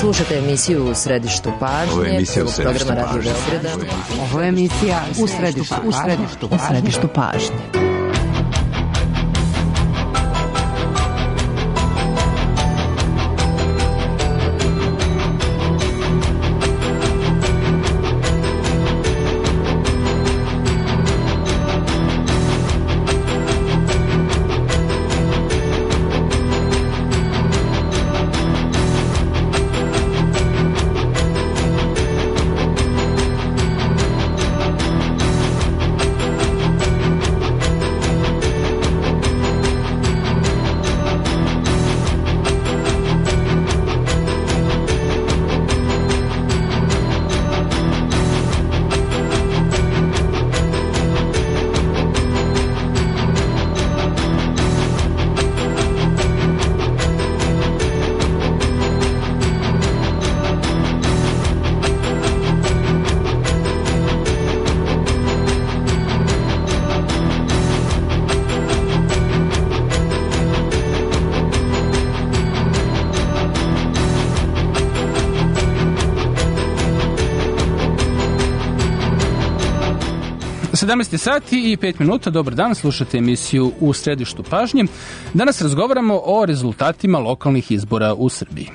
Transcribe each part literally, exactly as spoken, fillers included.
Slušajte emisiju U središtu pažnje. Ovo je emisija U središtu pažnje. Ovo je emisija U središtu pažnje. U središtu pažnje. sedamnaest sati i pet minuta, dobar dan, slušate emisiju U središtu pažnje. Danas razgovaramo o rezultatima lokalnih izbora u Srbiji.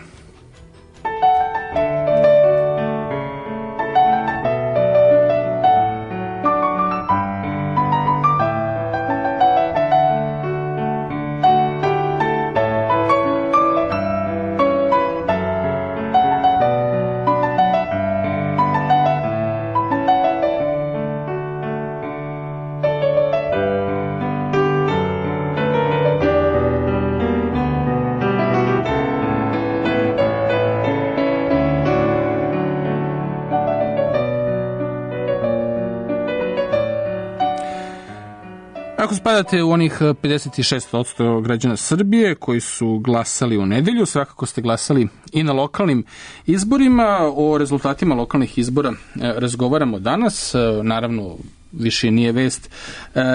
Ako spadate u onih pedeset šest posto građana Srbije koji su glasali u nedelju, svakako ste glasali i na lokalnim izborima. O rezultatima lokalnih izbora razgovaramo danas. Naravno, više nije vest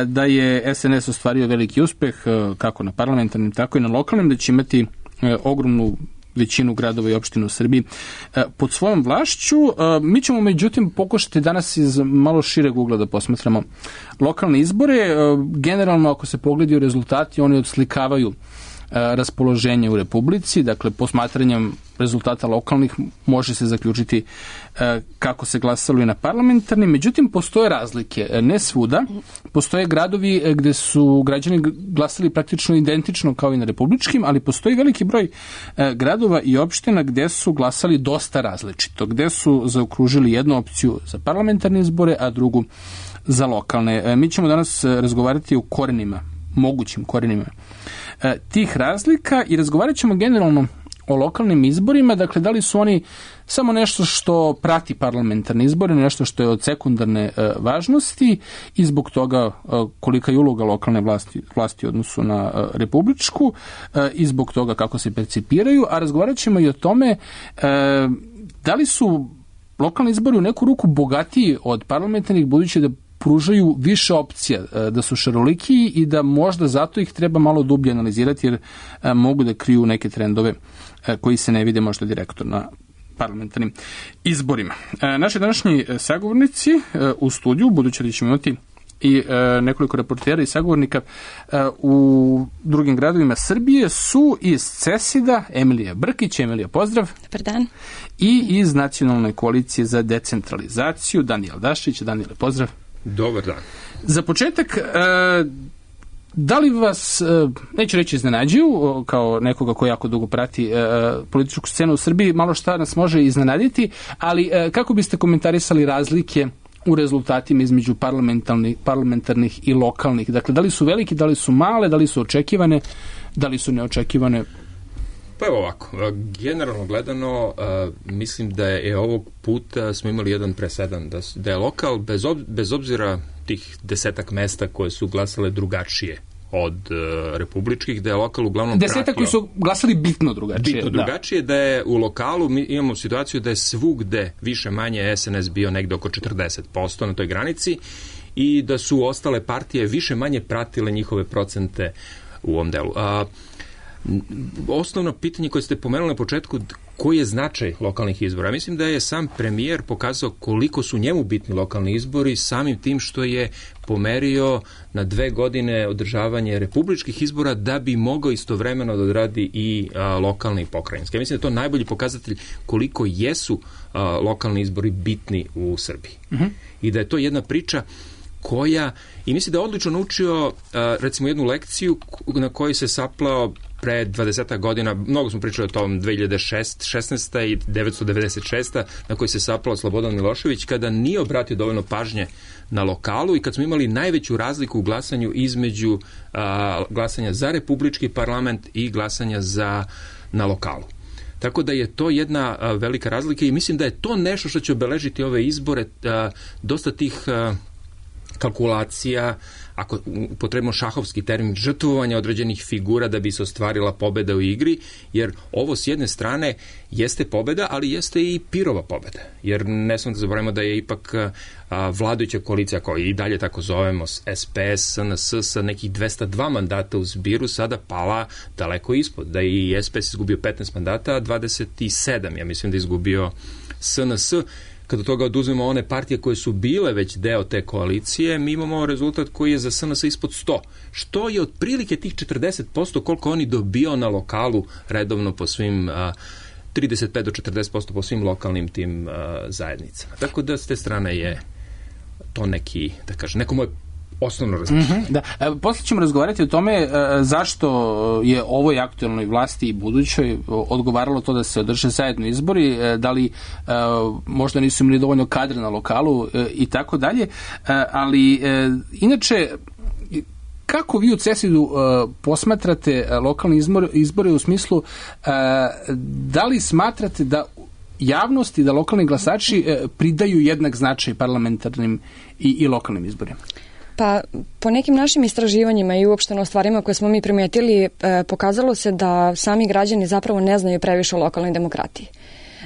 da je es en es ostvario veliki uspeh kako na parlamentarnim, tako i na lokalnim, da će imati ogromnu većinu gradova i opština u Srbiji pod svojom vlašću. Mi ćemo međutim pokušati danas iz malo šireg ugla da posmatramo lokalne izbore. Generalno, ako se pogledaju rezultati, oni odslikavaju raspoloženje u Republici, dakle posmatranjem rezultata lokalnih može se zaključiti kako se glasalo i na parlamentarnim, međutim postoje razlike, ne svuda, postoje gradovi gde su građani glasali praktično identično kao i na republičkim, ali postoji veliki broj gradova i opština gde su glasali dosta različito, gde su zaokružili jednu opciju za parlamentarne izbore, a drugu za lokalne. Mi ćemo danas razgovarati o korenima, mogućim korenima tih razlika i razgovarat ćemo generalno o lokalnim izborima, dakle da li su oni samo nešto što prati parlamentarne izbore, nešto što je od sekundarne e, važnosti i zbog toga e, kolika je uloga lokalne vlasti, vlasti u odnosu na e, republičku e, i zbog toga kako se percipiraju, a razgovarat ćemo i o tome e, da li su lokalni izbori u neku ruku bogatiji od parlamentarnih, budući da pružaju više opcija, da su šarolikiji i da možda zato ih treba malo dublje analizirati, jer mogu da kriju neke trendove koji se ne vide možda direktno na parlamentarnim izborima. Naši današnji sagovornici u studiju, budući da ćemo imati i nekoliko reportera i sagovornika u drugim gradovima Srbije, su iz CESID-a Emilija Brkić. Emilija, pozdrav. Dobar dan. I iz Nacionalne koalicije za decentralizaciju Danijel Dašić. Danijele, pozdrav. Dobar dan. Za početak, da li vas, neću reći iznenađuju, kao nekoga ko jako dugo prati političku scenu u Srbiji, malo šta nas može iznenaditi, ali kako biste komentarisali razlike u rezultatima između parlamentarnih, parlamentarnih i lokalnih? Dakle, da li su veliki, da li su male, da li su očekivane, da li su neočekivane? Pa evo ovako, generalno gledano, uh, mislim da je ovog puta smo imali jedan presedan, da, da je lokal, bez, ob, bez obzira tih desetak mesta koje su glasale drugačije od uh, republičkih, da je lokal uglavnom desetak pratio, koji su glasali bitno drugačije. Bitno da. drugačije, da je u lokalu, mi imamo situaciju da je svugde više manje es en es bio negde oko četrdeset posto na toj granici i da su ostale partije više manje pratile njihove procente u ovom delu. A, osnovno pitanje koje ste pomenuli na početku, koji je značaj lokalnih izbora. Mislim da je sam premijer pokazao koliko su njemu bitni lokalni izbori samim tim što je pomerio na dve godine održavanje republičkih izbora da bi mogao istovremeno da odradi i a, lokalne i pokrajinske. Mislim da je to najbolji pokazatelj koliko jesu a, lokalni izbori bitni u Srbiji. Uh-huh. I da je to jedna priča koja, i mislim da je odlično naučio a, recimo jednu lekciju na kojoj se saplao pre dvadeset godina, mnogo smo pričali o tom dve hiljade šesnaeste. i devetsto devedeset šeste. na kojoj se saplao Slobodan Milošević kada nije obratio dovoljno pažnje na lokalu i kad smo imali najveću razliku u glasanju između a, glasanja za republički parlament i glasanja za, na lokalu. Tako da je to jedna a, velika razlika i mislim da je to nešto što će obeležiti ove izbore, a, dosta tih a, kalkulacija, ako potrebno šahovski termin, žrtvovanja određenih figura da bi se ostvarila pobeda u igri, jer ovo s jedne strane jeste pobeda, ali jeste i pirova pobeda. Jer ne samo da zaboravimo da je ipak a, vladajuća koalicija, koja i dalje tako zovemo, S P S, S N S, sa nekih dvesta dva mandata u zbiru, sada pala daleko ispod. Da je i S P S izgubio petnaest mandata, a dvadeset sedam, ja mislim da je izgubio S N S. Kada toga oduzmemo one partije koje su bile već deo te koalicije, mi imamo rezultat koji je za S N S ispod sto, što je otprilike tih četrdeset posto koliko oni dobio na lokalu redovno po svim a, trideset pet do četrdeset posto po svim lokalnim tim a, zajednicama. Tako da s te strane je to neki, da kažem, neko moje osnovno razmišljanje. Mm-hmm, da. E, poslije ćemo razgovarati o tome e, zašto je ovoj aktualnoj vlasti i budućoj odgovaralo to da se održe zajedno izbori, e, da li e, možda nisu imali dovoljno kadra na lokalu e, i tako dalje, e, ali e, inače kako vi u CESID-u uh, posmatrate uh, lokalne izbore, izbore u smislu uh, da li smatrate da javnost i da lokalni glasači uh, pridaju jednak značaj parlamentarnim i, i lokalnim izborima? Pa, po nekim našim istraživanjima i uopšteno stvarima koje smo mi primetili, eh, pokazalo se da sami građani zapravo ne znaju previše o lokalnoj demokratiji.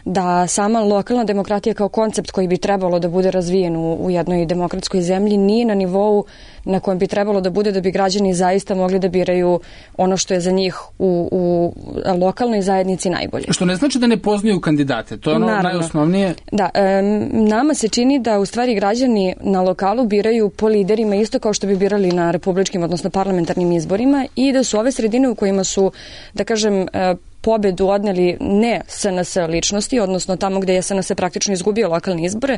Da sama lokalna demokratija kao koncept koji bi trebalo da bude razvijen u, u jednoj demokratskoj zemlji nije na nivou na kojem bi trebalo da bude da bi građani zaista mogli da biraju ono što je za njih u, u lokalnoj zajednici najbolje. Što ne znači da ne poznaju kandidate, to je ono Naravno. najosnovnije. Da, e, nama se čini da u stvari građani na lokalu biraju po liderima isto kao što bi birali na republičkim, odnosno parlamentarnim izborima i da su ove sredine u kojima su, da kažem, e, pobedu odneli ne S N S ličnosti, odnosno tamo gde je S N S praktično izgubio lokalne izbore,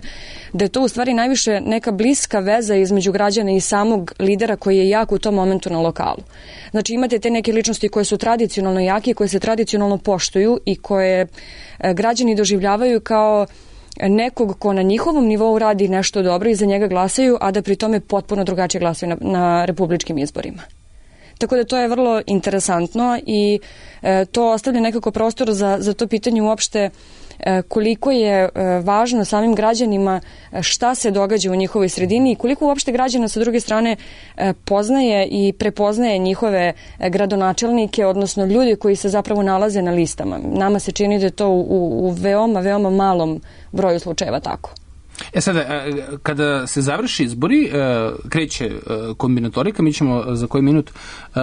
da je to u stvari najviše neka bliska veza između građana i samog lidera koji je jak u tom momentu na lokalu. Znači imate te neke ličnosti koje su tradicionalno jake, koje se tradicionalno poštuju i koje građani doživljavaju kao nekog ko na njihovom nivou radi nešto dobro i za njega glasaju, a da pri tome potpuno drugačije glasaju na, na republičkim izborima. Tako da to je vrlo interesantno i e, to ostavlja nekako prostor za, za to pitanje uopšte e, koliko je e, važno samim građanima šta se događa u njihovoj sredini i koliko uopšte građana sa druge strane e, poznaje i prepoznaje njihove e, gradonačelnike, odnosno ljudi koji se zapravo nalaze na listama. Nama se čini da je to u, u veoma, veoma malom broju slučajeva tako. E sada, kada se završi izbori, kreće kombinatorika, mi ćemo za koji minut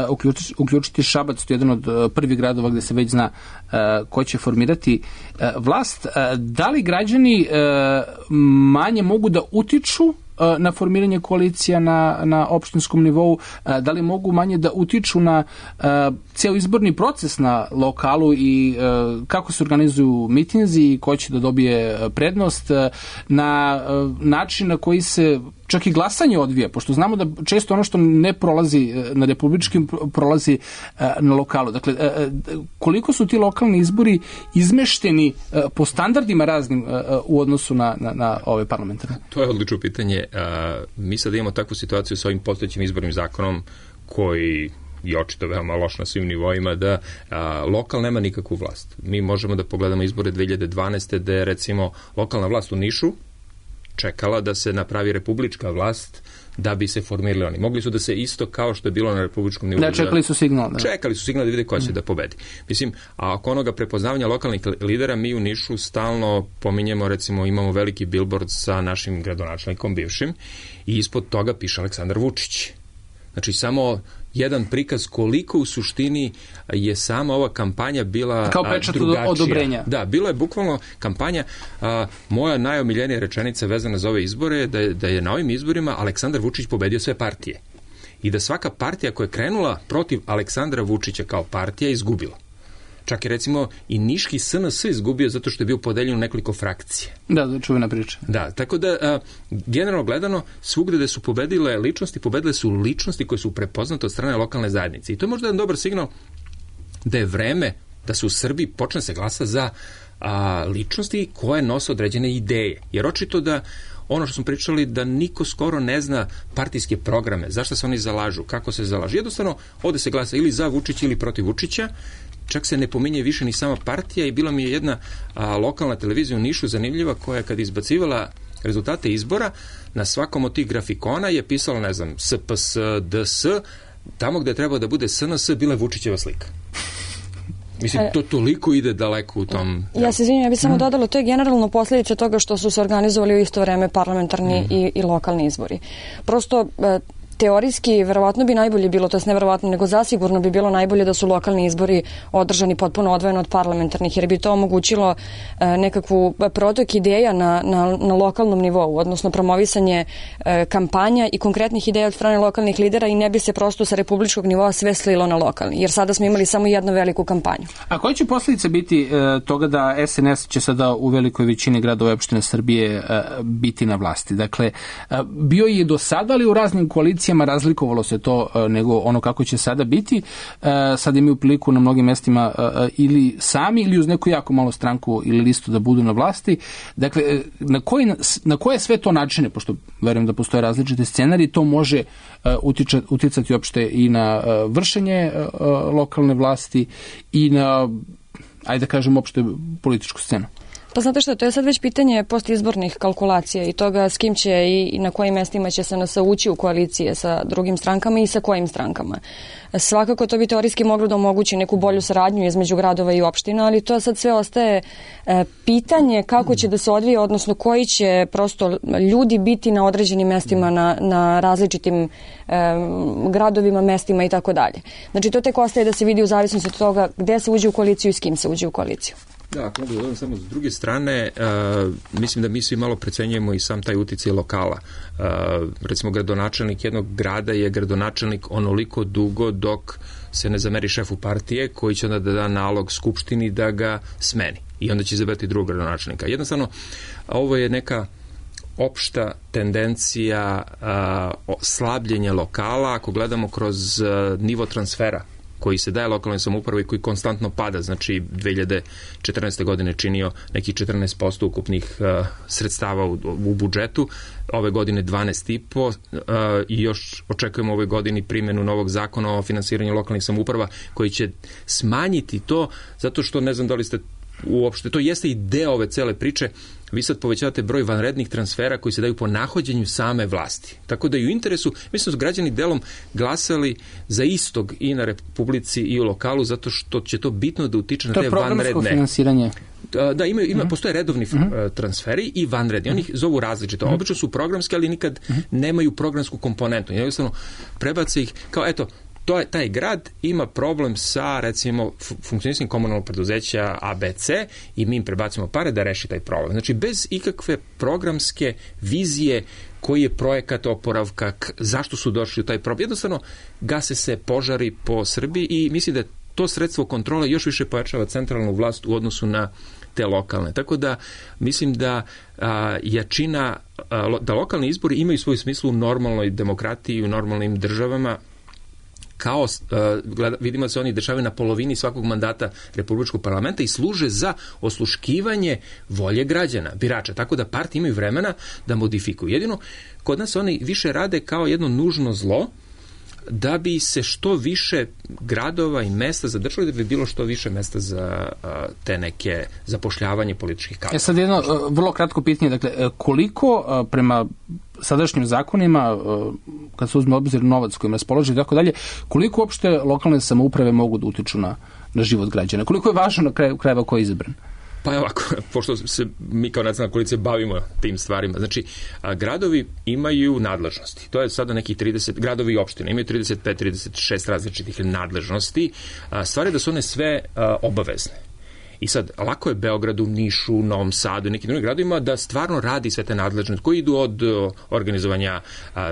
uključiti, uključiti Šabac, to je jedan od prvih gradova gde se već zna ko će formirati vlast. Da li građani manje mogu da utiču na formiranje koalicija na, na opštinskom nivou, da li mogu manje da utiču na uh, cijel izborni proces na lokalu i uh, kako se organizuju mitinzi i ko će da dobije prednost, uh, na uh, način na koji se čak i glasanje odvija, pošto znamo da često ono što ne prolazi na republičkim prolazi na lokalu. Dakle, koliko su ti lokalni izbori izmešteni po standardima raznim u odnosu na, na, na ove parlamentarne? To je odlično pitanje. Mi sad imamo takvu situaciju sa ovim postojećim izbornim zakonom koji je očito veoma loš na svim nivoima, da a, lokal nema nikakvu vlast. Mi možemo da pogledamo izbore dve hiljade dvanaeste. gde je recimo lokalna vlast u Nišu čekala da se napravi republička vlast da bi se formirali oni. Mogli su da se isto kao što je bilo na republičkom nivou. Da, čekali su signal. Da. Čekali su signal da vide ko će mm. da pobedi. Mislim, a oko onoga prepoznavanja lokalnih lidera, mi u Nišu stalno pominjemo, recimo, imamo veliki billboard sa našim gradonačelnikom bivšim i ispod toga piše Aleksandar Vučić. Znači, samo jedan prikaz koliko u suštini je sama ova kampanja bila kao pečat drugačija. Odobrenja. Da, bila je bukvalno kampanja. A, moja najomiljenija rečenica vezana za ove izbore da je, da je na ovim izborima Aleksandar Vučić pobedio sve partije. I da svaka partija koja je krenula protiv Aleksandra Vučića kao partija izgubila. Čak je recimo i niški S N S izgubio zato što je bio podeljen u nekoliko frakcije. Da, da, čuvena priča. Da, tako da a, generalno gledano svugde gde su pobedile ličnosti, pobedile su ličnosti koje su prepoznate od strane lokalne zajednice. I to je možda jedan dobar signal da je vreme da se u Srbiji počne se glasa za a, ličnosti koje nose određene ideje. Jer očito da ono što smo pričali, da niko skoro ne zna partijske programe, zašto se oni zalažu, kako se zalažu. Jednostavno, ovde se glasa ili za Vučića ili protiv Vučića, čak se ne pominje više ni sama partija i bila mi je jedna a, lokalna televizija u Nišu zanimljiva koja kad izbacivala rezultate izbora, na svakom od tih grafikona je pisalo, ne znam, S P S, D S, tamo gde je trebao da bude S N S, bila je Vučićeva slika. Mislim, to toliko ide daleko u tom... Ja se izvinjam, ja bih samo dodala, to je generalno posljedica toga što su se organizovali u isto vreme parlamentarni mm. i, i lokalni izbori. Prosto... Teorijski, verovatno bi najbolje bilo, to je neverovatno, nego zasigurno bi bilo najbolje da su lokalni izbori održani potpuno odvojeno od parlamentarnih, jer bi to omogućilo e, nekakvu protok ideja na, na, na lokalnom nivou, odnosno promovisanje e, kampanja i konkretnih ideja od strane lokalnih lidera i ne bi se prosto sa republičkog nivoa sve slilo na lokalni, jer sada smo imali samo jednu veliku kampanju. A koje će posljedice biti e, toga da S N S će sada u velikoj većini gradova i opštine Srbije e, biti na vlasti? Dakle, e, bio je do sada, ali u raznim koalicijama razlikovalo se to nego ono kako će sada biti. Sada imaju priliku na mnogim mestima ili sami ili uz neku jako malo stranku ili listu da budu na vlasti. Dakle, na, koji, na koje sve to načine, pošto verujem da postoje različite scenarije, to može utiča, uticati uopšte i na vršenje lokalne vlasti i na, ajde da kažem, uopšte političku scenu. Pa znate što, to je sad već pitanje postizbornih kalkulacija i toga s kim će i, i na kojim mestima će se nas ući u koalicije sa drugim strankama i sa kojim strankama. Svakako to bi teorijski moglo da omogući neku bolju saradnju između gradova i opština, ali to sad sve ostaje e, pitanje kako će da se odvije, odnosno koji će prosto ljudi biti na određenim mestima, na, na različitim e, gradovima, mestima i tako dalje. Znači to tek ostaje da se vidi u zavisnosti od toga gde se uđe u koaliciju i s kim se uđe u koaliciju. Da, ako mogu da samo s druge strane, uh, mislim da mi svi malo precenjujemo i sam taj uticaj lokala. Uh, recimo, gradonačelnik jednog grada je gradonačelnik onoliko dugo dok se ne zameri šefu partije koji će onda da da nalog skupštini da ga smeni. I onda će izabrati drugog gradonačelnika. Jednostavno, ovo je neka opšta tendencija uh, slabljenja lokala ako gledamo kroz uh, nivo transfera koji se daje lokalnoj samoupravi i koji konstantno pada, znači dve hiljade četrnaeste. godine činio neki četrnaest posto ukupnih uh, sredstava u, u budžetu, ove godine dvanaest i po uh, i još očekujemo ove godini primjenu novog zakona o finansiranju lokalnih samouprava koji će smanjiti to, zato što ne znam da li ste uopšte, to jeste i deo ove cele priče, vi sad povećavate broj vanrednih transfera koji se daju po nahođenju same vlasti. Tako da i u interesu, mislim da su građani delom glasali za istog i na Republici i u lokalu, zato što će to bitno da utiče na te vanredne. To je programsko finansiranje. Da, ima, ima, postoje redovni uh-huh. transferi i vanredni. Oni ih zovu različito. Uh-huh. Obično su programski, ali nikad uh-huh. nemaju programsku komponentu. Jednostavno, prebace ih kao, eto, to je, taj grad ima problem sa, recimo, funkcionisanjem komunalnog preduzeća A B C i mi im prebacimo pare da reši taj problem. Znači, bez ikakve programske vizije koji je projekat oporavka, zašto su došli u taj problem. Jednostavno, gase se požari po Srbiji i mislim da to sredstvo kontrole još više pojačava centralnu vlast u odnosu na te lokalne. Tako da mislim da a, jačina, a, da lokalni izbori imaju svoj smislu u normalnoj demokratiji, u normalnim državama, kao, uh, gleda, vidimo da se oni dešavaju na polovini svakog mandata Republičkog parlamenta i služe za osluškivanje volje građana, birača, tako da partije imaju vremena da modifikuju. Jedino, kod nas oni više rade kao jedno nužno zlo, da bi se što više gradova i mesta zadržali, da bi bilo što više mesta za uh, te neke zapošljavanje političkih kadrova. E sad jedno uh, vrlo kratko pitanje, dakle, koliko uh, prema sadašnjim zakonima, uh, kad se uzme obzir novac kojim raspolaže i tako dalje, koliko uopšte lokalne samouprave mogu da utiču na, na život građana? Koliko je važno na kraju krajeva ko je izabran? Pa ovako, pošto se mi kao nacionalna koalicija bavimo tim stvarima, znači a, gradovi imaju nadležnosti. To je sada nekih trideset, gradovi i opštine imaju trideset pet trideset šest različitih nadležnosti. A, stvar je da su one sve a, obavezne. I sad, lako je Beogradu, Nišu, Novom Sadu i nekim drugim gradovima da stvarno radi sve te nadležnosti koji idu od organizovanja,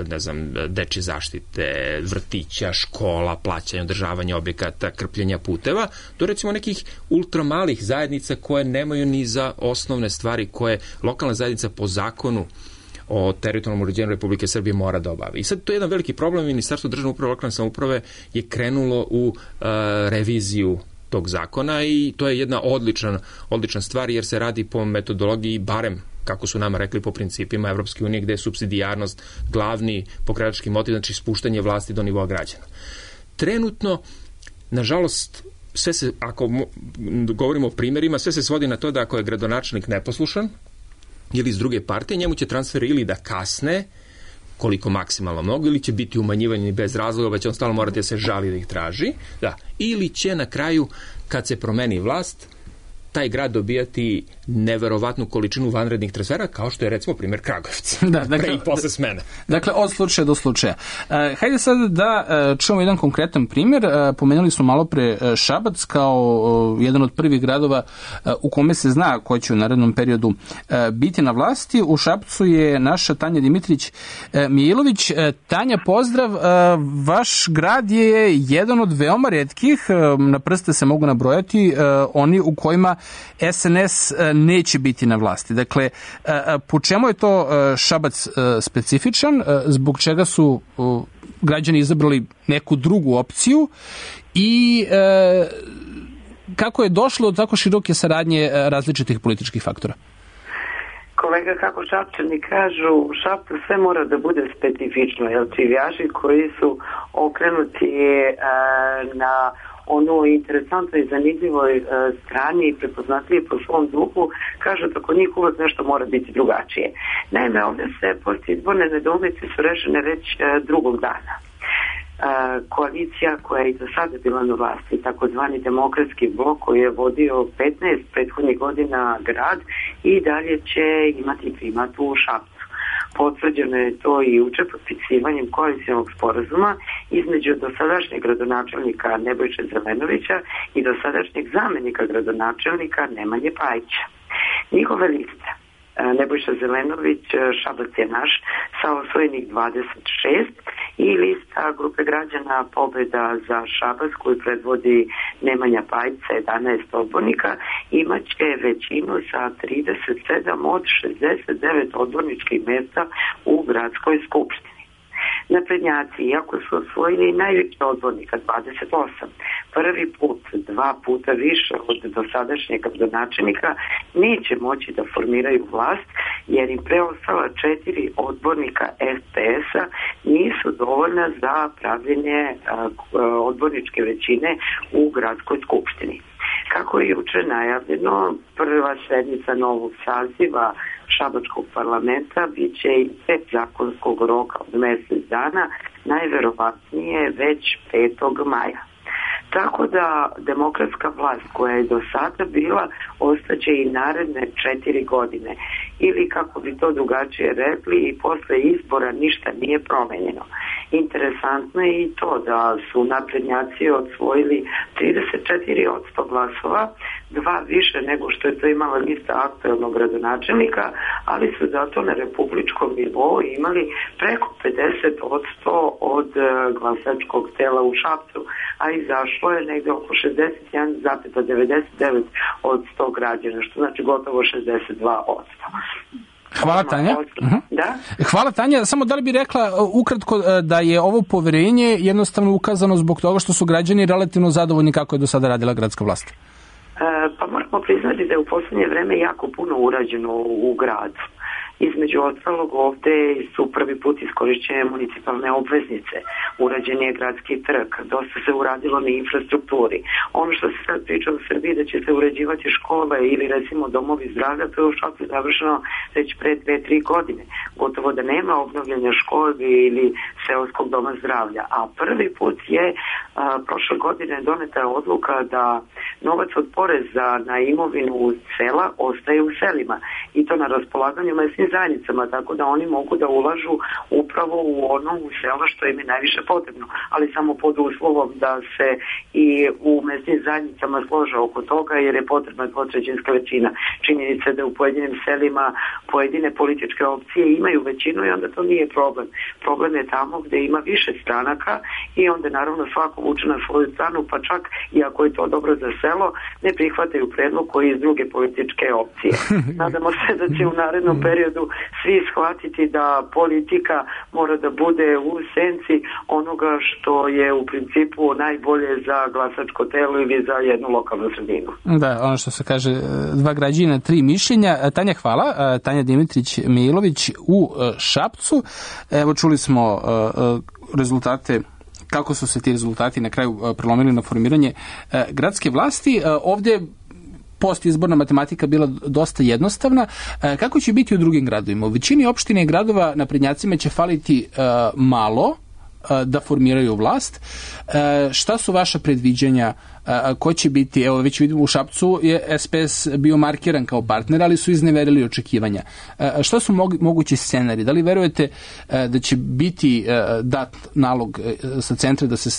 ne znam, dečje zaštite, vrtića, škola, plaćanja, održavanja objekata, krpljenja puteva, do recimo nekih ultramalih zajednica koje nemaju ni za osnovne stvari koje lokalna zajednica po zakonu o teritorijalnom uređenju Republike Srbije mora da obavi. I sad to je jedan veliki problem. Ministarstvo državne uprave i lokalne samouprave je krenulo u uh, reviziju tog zakona i to je jedna odlična, odlična stvar jer se radi po metodologiji, barem kako su nama rekli, po principima Evropske unije, gde je supsidijarnost glavni pokretački motiv, znači spuštanje vlasti do nivoa građana. Trenutno, nažalost, sve se, ako govorimo o primjerima, sve se svodi na to da ako je gradonačelnik neposlušan ili iz druge partije, njemu će transfer ili da kasne, koliko maksimalno mnogo, ili će biti umanjivanje bez razloga, pa će on stalno morati da se žali da ih traži, da, ili će na kraju, kad se promeni vlast, taj grad dobijati neverovatnu količinu vanrednih transfera, kao što je recimo primjer Kragujevca. Da, dakle, pre i posle smene. Dakle, od slučaja do slučaja. Uh, hajde sad da uh, čujemo jedan konkretan primjer. Uh, pomenuli smo malo pre uh, Šabac kao uh, jedan od prvih gradova uh, u kome se zna ko će u narednom periodu uh, biti na vlasti. U Šapcu je naša Tanja Dimitrić uh, Mijilović. Uh, Tanja, pozdrav. Uh, vaš grad je jedan od veoma retkih, uh, na prste se mogu nabrojati, uh, oni u kojima S N S neće biti na vlasti. Dakle, po čemu je to Šabac specifičan, zbog čega su građani izabrali neku drugu opciju i kako je došlo do tako široke saradnje različitih političkih faktora? Kolega, kako Šapčani kažu, u Šapcu sve mora da bude specifično, jer čivijaši koji su okrenuti na ono interesantno i zanimljivoj e, strani i prepoznatljivi po svom duhu, kažu da kod njih uvek nešto mora biti drugačije. Naime, ovdje se postizborne nedoumice su rešene već e, drugog dana. E, koalicija koja je i do sada bila na vlasti, takozvani demokratski blok koji je vodio petnaest prethodnih godina grad i dalje će imati primat u Šapcu. Potvrđeno je to i juče potpisivanjem koalicionog sporazuma između dosadašnjeg gradonačelnika Nebojše Zelenovića i dosadašnjeg zamenika gradonačelnika Nemanje Pajića. Njihove liste, Nebojša Zelenović, Šabac je naš, sa osvojenih dvadeset šest i lista grupe građana Pobeda za Šabac koju predvodi Nemanja Pajić sa jedanaest odbornika imaće većinu sa trideset sedam od šezdeset devet odborničkih mesta u gradskoj skupštini. Naprednjaci, iako su osvojili najviše odbornika, dvadeset osam, prvi put, dva puta više od dosadašnjeg gradonačelnika, neće moći da formiraju vlast, jer im preostala četiri odbornika S P S-a nisu dovoljna za pravljenje odborničke većine u gradskoj skupštini. Kako je juče najavljeno, prva sednica novog saziva Šabačkog parlamenta bit će i pet zakonskog roka od mjesec dana, najverovatnije već petog maja. Tako da demokratska vlast koja je do sada bila ostaće i naredne četiri godine. Ili kako bi to drugačije rekli, i posle izbora ništa nije promenjeno. Interesantno je i to da su naprednjaci osvojili trideset četiri posto glasova, dva više nego što je to imala lista aktuelnog gradonačelnika, ali su zato na republičkom nivou imali preko pedeset posto od glasačkog tela u Šapcu, a izašlo je negde oko šezdeset jedan zarez devedeset devet posto građana, što znači gotovo šezdeset dva posto. Hvala, Tanja. Uh-huh. Da? Hvala, Tanja. Samo da li bi rekla ukratko da je ovo poverenje jednostavno ukazano zbog toga što su građani relativno zadovoljni kako je do sada radila gradska vlast? E, pa moramo priznati da je u poslednje vreme jako puno urađeno u, u gradu. Između ostalog, ovde su prvi put iskorišćene municipalne obveznice, urađen je gradski trg, dosta se uradilo na infrastrukturi. Ono što se sad priča u Srbiji da će se uređivati škole ili recimo domovi zdravlja, to je u Šapcu završeno već pre dve, tri godine. Gotovo da nema obnovljanja škole ili seoskog doma zdravlja. A prvi put je a, prošle godine doneta odluka da novac od poreza na imovinu sela ostaje u selima i to na raspolaganju mesnim zajednicama, tako da oni mogu da ulažu upravo u ono u selo što im je najviše potrebno, ali samo pod uslovom da se i u mesnim zajednicama slože oko toga, jer je potrebna dvotrećinska većina. Činjenica je da u pojedinim selima pojedine političke opcije imaju većinu i onda to nije problem. Problem je tamo gde ima više stranaka i onda naravno svako vuče na svoju stranu, pa čak i ako je to dobro za selo, ne prihvataju predlog koji iz druge političke opcije. Nadamo se da će u narednom periodu svi shvatiti da politika mora da bude u senci onoga što je u principu najbolje za glasačko telo ili za jednu lokalnu sredinu. Da, ono što se kaže, dva građana, tri mišljenja. Tanja, hvala. Tanja Dimitrić-Milović u Šapcu. Evo, čuli smo rezultate, kako su se ti rezultati na kraju prelomili na formiranje gradske vlasti. Ovdje postizborna matematika bila dosta jednostavna. Kako će biti u drugim gradovima? U većini opštine i gradova naprednjacima će faliti malo da formiraju vlast. Šta su vaša predviđanja? Ko će biti, evo već vidimo u Šapcu je es pe es bio markiran kao partner, ali su izneverili očekivanja. Šta su mogući scenari? Da li verujete da će biti dat nalog sa centra da se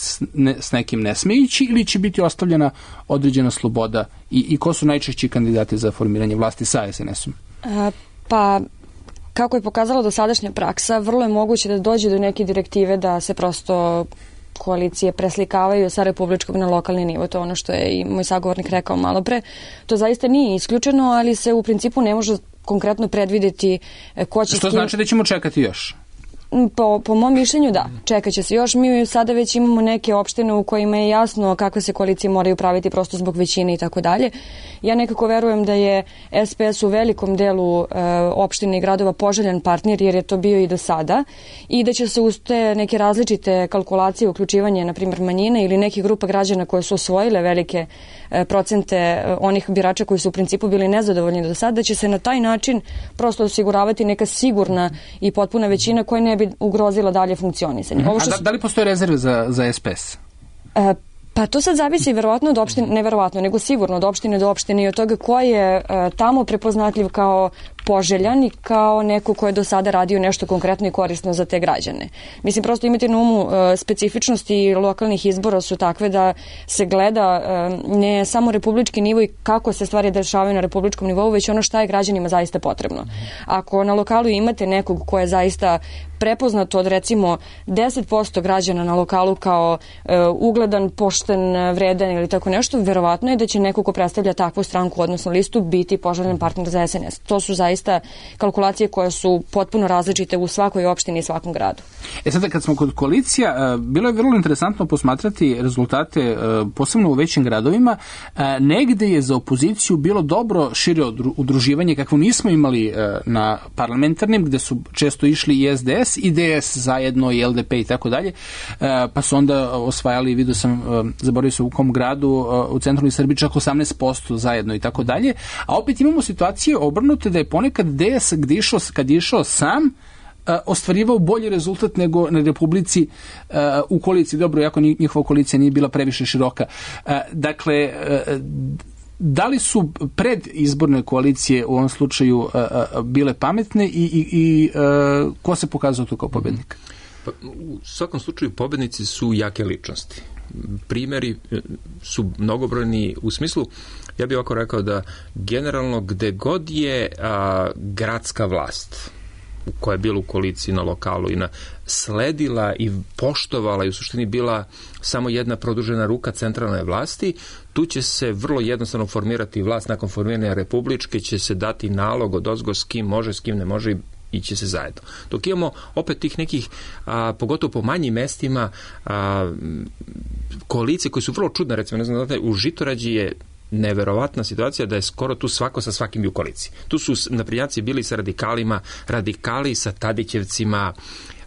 s nekim ne sme ići ili će biti ostavljena određena sloboda i, i ko su najčešći kandidati za formiranje vlasti sa es en esom? Pa kako je pokazala dosadašnja praksa, vrlo je moguće da dođe do neke direktive da se prosto koalicije preslikavaju sa republičkog na lokalni nivo. To je ono što je i moj sagovornik rekao malo pre. To zaista nije isključeno, ali se u principu ne može konkretno predvideti ko će... Što skim... znači da ćemo čekati još? Po, po mom mišljenju da, čekat će se još. Mi sada već imamo neke opštine u kojima je jasno kakve se koalicije moraju praviti prosto zbog većine i tako dalje. Ja nekako verujem da je es pe es u velikom delu e, opštine i gradova poželjan partner, jer je to bio i do sada, i da će se uz te neke različite kalkulacije, uključivanje na primjer manjine ili nekih grupa građana koje su osvojile velike e, procente e, onih birača koji su u principu bili nezadovoljni do sada, da će se na taj način prosto osiguravati neka sigurna i potpuna većina koja ne bi ugrozila dalje funkcionisanje. Ovo što... A da, da li postoje rezerve za, za es pe es? E, Pa to sad zavisi verovatno od opštine, ne verovatno, nego sigurno od opštine do opštine i od toga ko je e, tamo prepoznatljiv kao poželjan i kao neko ko je do sada radio nešto konkretno i korisno za te građane. Mislim, prosto imati na umu e, specifičnosti lokalnih izbora su takve da se gleda e, ne samo republički nivo i kako se stvari dešavaju na republičkom nivou, već ono šta je građanima zaista potrebno. Ako na lokalu imate nekog ko je zaista prepoznato od recimo deset posto građana na lokalu kao e, ugledan, pošten, vredan ili tako nešto, verovatno je da će neko ko predstavlja takvu stranku, odnosno listu, biti poželjan partner za es en es. To su zaista kalkulacije koje su potpuno različite u svakoj opštini i svakom gradu. E sada, kad smo kod koalicija, bilo je vrlo interesantno posmatrati rezultate, posebno u većim gradovima. Negde je za opoziciju bilo dobro šire udruživanje, kakvo nismo imali na parlamentarnim, gde su često išli i es de es, i de es zajedno, i el de pe i tako dalje, pa su onda osvajali, vidio sam, zaboravio se u kom gradu, u centralnoj Srbiji čak osamnaest posto zajedno i tako dalje, a opet imamo situacije obrnute da je ponekad de es gde išao, kad je išao sam, ostvarivao bolji rezultat nego na Republici u koaliciji. Dobro, jako njihova koalicija nije bila previše široka. Dakle, da li su predizborne koalicije u ovom slučaju bile pametne i, i, i ko se pokazao tu kao pobednik? Pa, u svakom slučaju pobednici su jake ličnosti. Primeri su mnogobrojni u smislu, ja bih ovako rekao da generalno gde god je a, gradska vlast koja je bila u koaliciji na lokalu i na sledila i poštovala i u suštini bila samo jedna produžena ruka centralne vlasti, tu će se vrlo jednostavno formirati vlast. Nakon formiranja republičke će se dati nalog od ozgo s kim može, s kim ne može, ići se zajedno. Dok imamo opet tih nekih, a, pogotovo po manjim mestima, a, koalicije koje su vrlo čudne, recimo, ne znam, u Žitorađi je neverovatna situacija da je skoro tu svako sa svakim u koaliciji. Tu su naprednjaci bili sa radikalima, radikali sa Tadićevcima,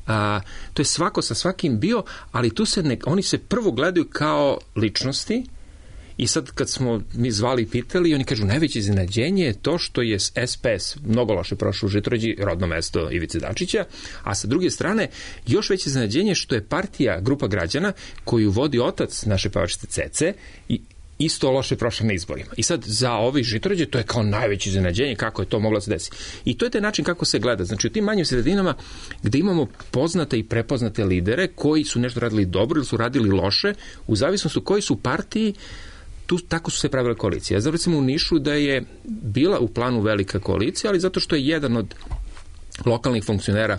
a, to je svako sa svakim bio, ali tu se ne, oni se prvo gledaju kao ličnosti I sad kad smo mi zvali i pitali, oni kažu najveće iznenađenje je to što je S P S mnogo loše prošao u Žitorađi, rodno mesto Ivice Dačića, a sa druge strane još veće iznenađenje što je partija, grupa građana koju vodi otac naše pevačice Cece i isto loše prošla na izborima. I sad za ovi Žitorađe to je kao najveće iznenađenje kako je to moglo se desiti. I to je taj način kako se gleda. Znači u tim manjim sredinama gde imamo poznate i prepoznate lidere koji su nešto radili dobro ili su radili loše, u zavisnosti u kojoj su partiji, tu tako su se pravile koalicije. Ja znam recimo u Nišu da je bila u planu velika koalicija, ali zato što je jedan od lokalnih funkcionera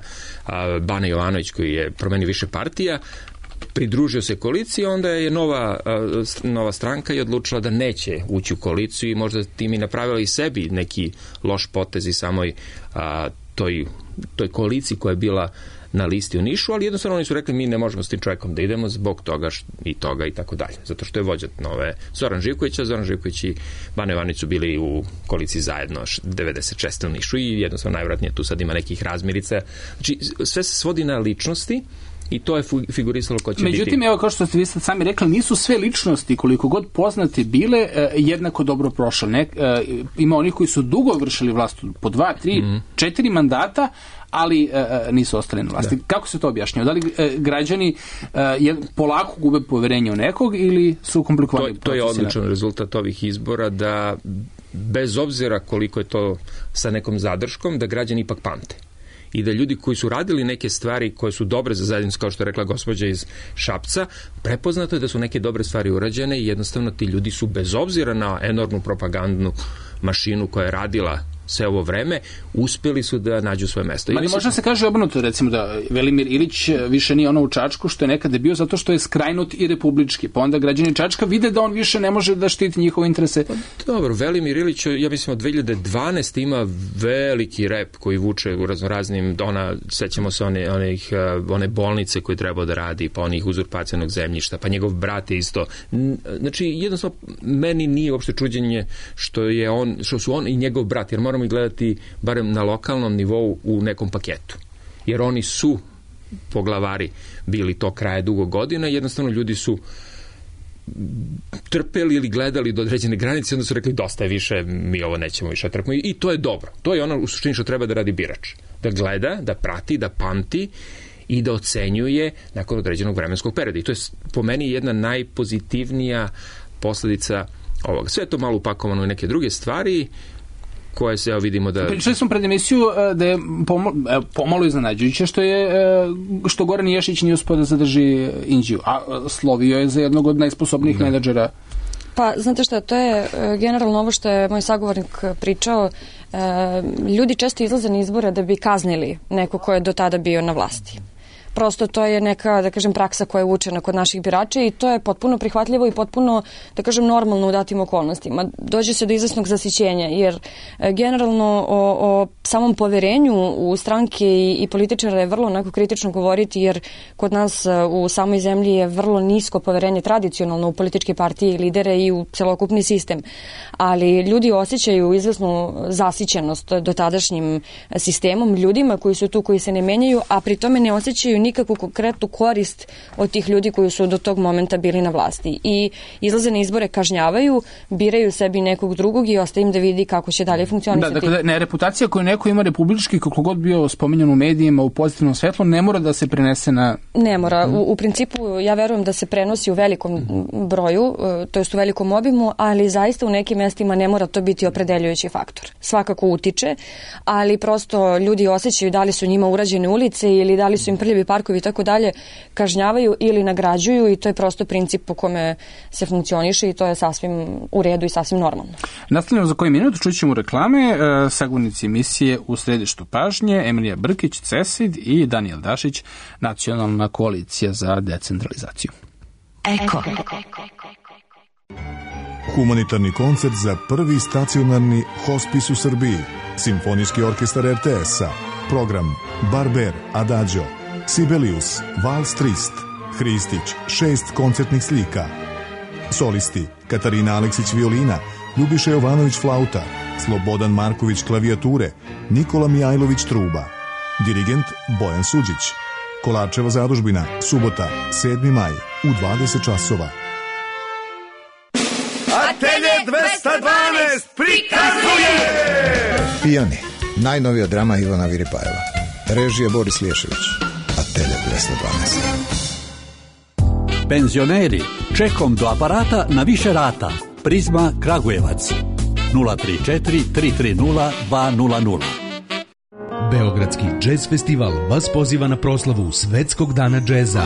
Bane Jovanović koji je promenio više partija, pridružio se koaliciji, onda je nova, nova stranka i odlučila da neće ući u koaliciju i možda tim i napravila i sebi neki loš potez i samoj a, toj, toj koaliciji koja je bila na listi u Nišu, ali jednostavno oni su rekli mi ne možemo s tim čovjekom da idemo zbog toga i toga i tako dalje. Zato što je vođa nove Zoran Živković, a Zoran Živković i Bane Jovanović su bili u koaliciji zajedno devedeset šeste u Nišu i jednostavno najvjerojatnije tu sad ima nekih razmirica. Znači sve se svodi na ličnosti i to je figurisalo ko će Međutim, biti. Međutim, evo kao što ste vi sad sami rekli, nisu sve ličnosti, koliko god poznate bile, jednako dobro prošle. Ne, ima onih koji su dugo vršili vlast po dva, tri, mm. četiri mandata, ali e, nisu ostali na vlasti. Da. Kako se to objašnjava? Da li e, građani e, polako gube poverenje u nekog ili su komplikovani procesi? To je odličan rezultat ovih izbora da bez obzira koliko je to sa nekom zadrškom, da građani ipak pamte. I da ljudi koji su radili neke stvari koje su dobre za zajednicu, kao što je rekla gospođa iz Šapca, prepoznato je da su neke dobre stvari urađene i jednostavno ti ljudi su bez obzira na enormnu propagandnu mašinu koja je radila sve ovo vreme, uspeli su da nađu svoje mesto. Ali možda se kaže obrnuto, recimo da Velimir Ilić više nije ono u Čačku što je nekada bio zato što je skrajnut i republički, pa onda građani Čačka vide da on više ne može da štiti njihove interese. Pa, dobro, Velimir Ilić, ja mislim od dve hiljade dvanaeste ima veliki rep koji vuče u raznoraznim, ona, sećamo se one, onih, one bolnice koje treba da radi, pa onih uzurpacijanog zemljišta, pa njegov brat je isto. Znači, jednostavno, meni nije uopšte čuđenje što je on, što su on i njegov brat, jer moramo i gledati barem na lokalnom nivou u nekom paketu. Jer oni su poglavari bili to kraje dugo godina i jednostavno ljudi su trpeli ili gledali do određene granice i onda su rekli dosta je više, mi ovo nećemo više trpimo i to je dobro. To je ono u suštini što treba da radi birač. Da gleda, da prati, da pamti i da ocenjuje nakon određenog vremenskog perioda. I to je po meni jedna najpozitivnija posledica ovoga. Sve je to malo upakovano u neke druge stvari koje se, evo vidimo da... Pričali smo pred emisiju da je pomalo, pomalo iznenađujuće što je što Goran Ješić nije uspio da zadrži Inđiju, a slovio je za jednog od najsposobnijih menadžera. Pa, znate šta, to je generalno ovo što je moj sagovornik pričao. Ljudi često izlaze na izbore da bi kaznili neko ko je do tada bio na vlasti. Prosto to je neka, da kažem, praksa koja je učena kod naših birača i to je potpuno prihvatljivo i potpuno, da kažem, normalno u datim okolnostima. Dođe se do izvesnog zasićenja, jer generalno o, o samom poverenju u stranke i, i političara je vrlo onako kritično govoriti, jer kod nas u samoj zemlji je vrlo nisko poverenje tradicionalno u političke partije i lidere i u celokupni sistem. Ali ljudi osjećaju izvesnu zasićenost dotadašnjim sistemom, ljudima koji su tu, koji se ne menjaju, a pri tome ne osjećaju nikakvu konkretnu korist od tih ljudi koji su do tog momenta bili na vlasti. I izlaze na izbore, kažnjavaju, biraju sebi nekog drugog i ostaje im da vidi kako će dalje funkcionisati. Da, dakle, ne, reputacija koju neko ima republički, kako god bio spominjan u medijima u pozitivnom svetlu, ne mora da se prenese na... Ne mora. U, u principu, ja verujem da se prenosi u velikom broju, to jest u velikom obimu, ali zaista u nekim mestima ne mora to biti opredeljujući faktor. Svakako utiče, ali prosto ljudi osjećaju da li su njima urađene ulice ili da li su im prljavi parkovi i tako dalje, kažnjavaju ili nagrađuju i to je prosto princip po kome se funkcioniše i to je sasvim u redu i sasvim normalno. Nastavljamo za koji minut, čućemo reklame, e, sagovornici emisije U središtu pažnje, Emilija Brkić, CESID i Danijel Dašić, Nacionalna koalicija za decentralizaciju. Eko. Humanitarni koncert za prvi stacionarni hospis u Srbiji. Simfonijski orkestar er te es-a. Program Barber, Adagio, Sibelius, Vals Trist, Hristić, šest koncertnih slika. Solisti Katarina Aleksić violina, Ljubiša Jovanović flauta, Slobodan Marković klavijature, Nikola Mijajlović truba. Dirigent Bojan Suđić. Kolarčeva zadužbina, subota, sedmi maj, u dvadeset časova. Atelje dvesta dvanaest prikazuje Pijani, najnovija drama Ivana Viripajeva. Režija Boris Liješević. Atelje dvesta dvanaest. Penzioneri, čekom do aparata na više rata. Prizma Kragujevac. nula tri četiri tri tri nula dva nula nula. Beogradski džez festival vas poziva na proslavu Svetskog dana džeza.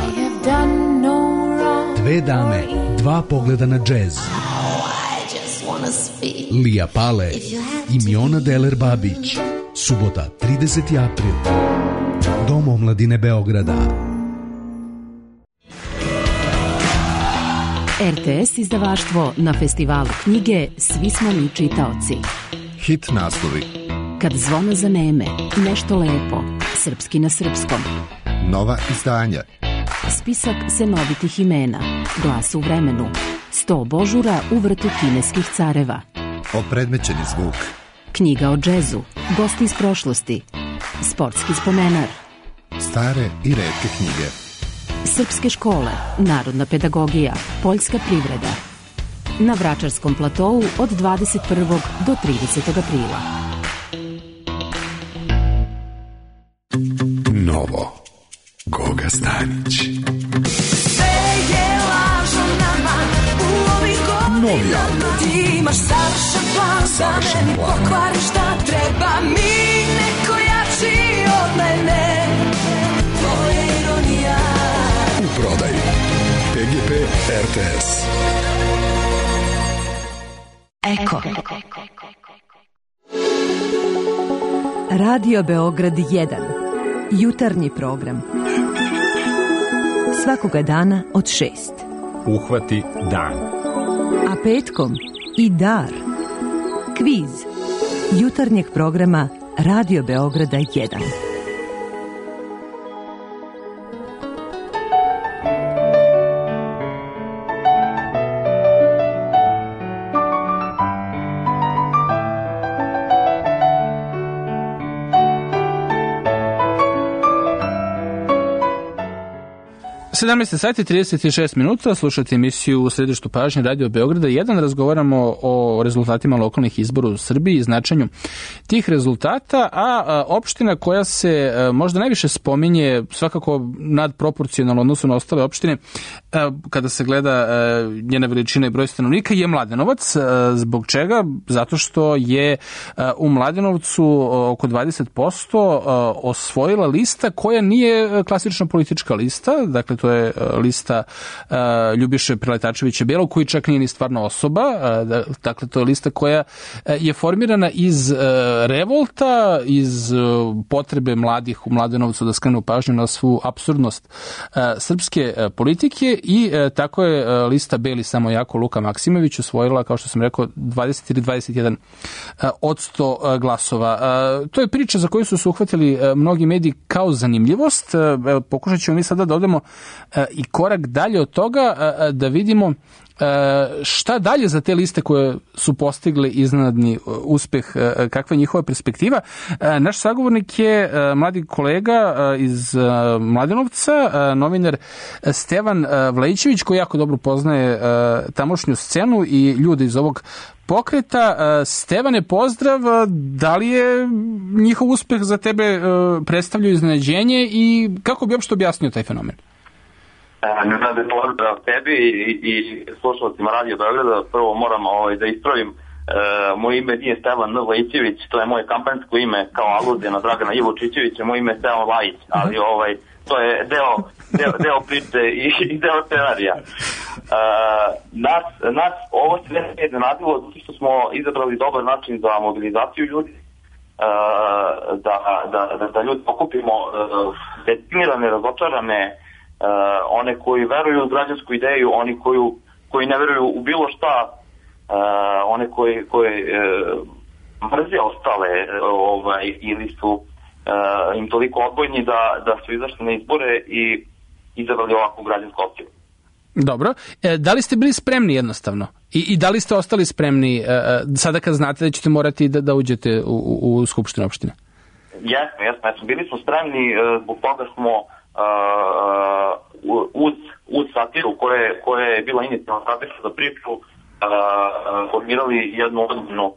Dve dame, dva pogleda na džez. Lija Pale i Miona Deler Babić. Subota, trideseti april. Dom omladine Beograda. R T S izdavaštvo na festivalu knjige Svi smo mi čitaoci. Hit naslovi. Kad zvona zaneme, nešto lepo, srpski na srpskom. Nova izdanja. Spisak senovitih imena, Glas u vremenu, sto božura u vrtu kineskih careva. Opredmećeni zvuk. Knjiga o džezu, gosti iz prošlosti, sportski spomenar. Stare i retke knjige. Srpske škole, narodna pedagogija, poljska privreda. Na Vračarskom platovu od dvadeset prvog do tridesetog aprila. Novo. Goga Stanić. Sve je lažno nama u ovih godina. Ti imaš savršen plan za meni, pokvari šta treba mi, neko jači od mene. Tvoja ironija. U prodaji P G P R T S. Eko. Radio Beograd jedan. Jutarnji program. Svakoga dana od šest. Uhvati dan. A petkom i dar. Kviz. Jutarnjeg programa Radio Beograda jedan. sedamnaest sati trideset šest minuta, slušate emisiju u središtu pažnje Radio Beograda jedan. Razgovaramo o rezultatima lokalnih izbora u Srbiji i značenju tih rezultata, a opština koja se možda najviše spominje, svakako nadproporcionalno odnosu na ostale opštine, kada se gleda njena veličina i broj stanovnika, je Mladenovac. Zbog čega? Zato što je u Mladenovcu oko dvadeset posto osvojila lista koja nije klasična politička lista, dakle to je lista uh, Ljubiše Preletačevića Belog, koji čak nije ni stvarno osoba. Uh, dakle, to je lista koja uh, je formirana iz uh, revolta, iz uh, potrebe mladih u Mladenovcu da skrenu pažnju na svu apsurdnost uh, srpske uh, politike i uh, tako je uh, lista Beli samo jako Luka Maksimović osvojila, kao što sam rekao, dvadeset ili dvadeset jedan uh, od sto uh, glasova. Uh, to je priča za koju su se uhvatili uh, mnogi mediji kao zanimljivost. Uh, pokušat ćemo mi sada da odemo i korak dalje od toga, da vidimo šta dalje za te liste koje su postigle iznenadni uspeh, kakva je njihova perspektiva. Naš sagovornik je mladi kolega iz Mladenovca, novinar Stevan Vlajićević, koji jako dobro poznaje tamošnju scenu i ljude iz ovog pokreta. Stevane, pozdrav. Da li je njihov uspeh za tebe predstavljao iznenađenje i kako bi uopšte objasnio taj fenomen? Ne znam da je pozdrav tebi i, i slušalcima Radio Beograda. Prvo moram ovaj, da ispravim. E, moje ime nije Stevan Vlajićević, to je moje kampanjsko ime kao aluzija na Dragana Ivočićevića. Moje ime je Stevan Vlajić, ali ovaj, to je deo, deo, deo priče i, i deo scenarija. E, nas, nas ovo se ne iznenadilo zato što smo izabrali dobar način za mobilizaciju ljudi. Uh, da, da, da, da ljudi pokupimo uh, detinirane, razočarane, uh, one koji veruju u građansku ideju, oni koju, koji ne veruju u bilo šta, uh, one koji, koji uh, mrze ostale uh, ovaj, ili su uh, im toliko odbojni da, da su izašli na izbore i izabrali ovakvu građansku opciju. Dobro. E, da li ste bili spremni jednostavno? I, i da li ste ostali spremni e, sada kad znate da ćete morati da, da uđete u, u, u Skupštinu opštine? Jesmo, jesmo, jesmo. Bili smo spremni, zbog toga smo uh, uz, uz satiru koja je, koja je bila inicijalna strategija za priču, formirali jednu ozbiljnu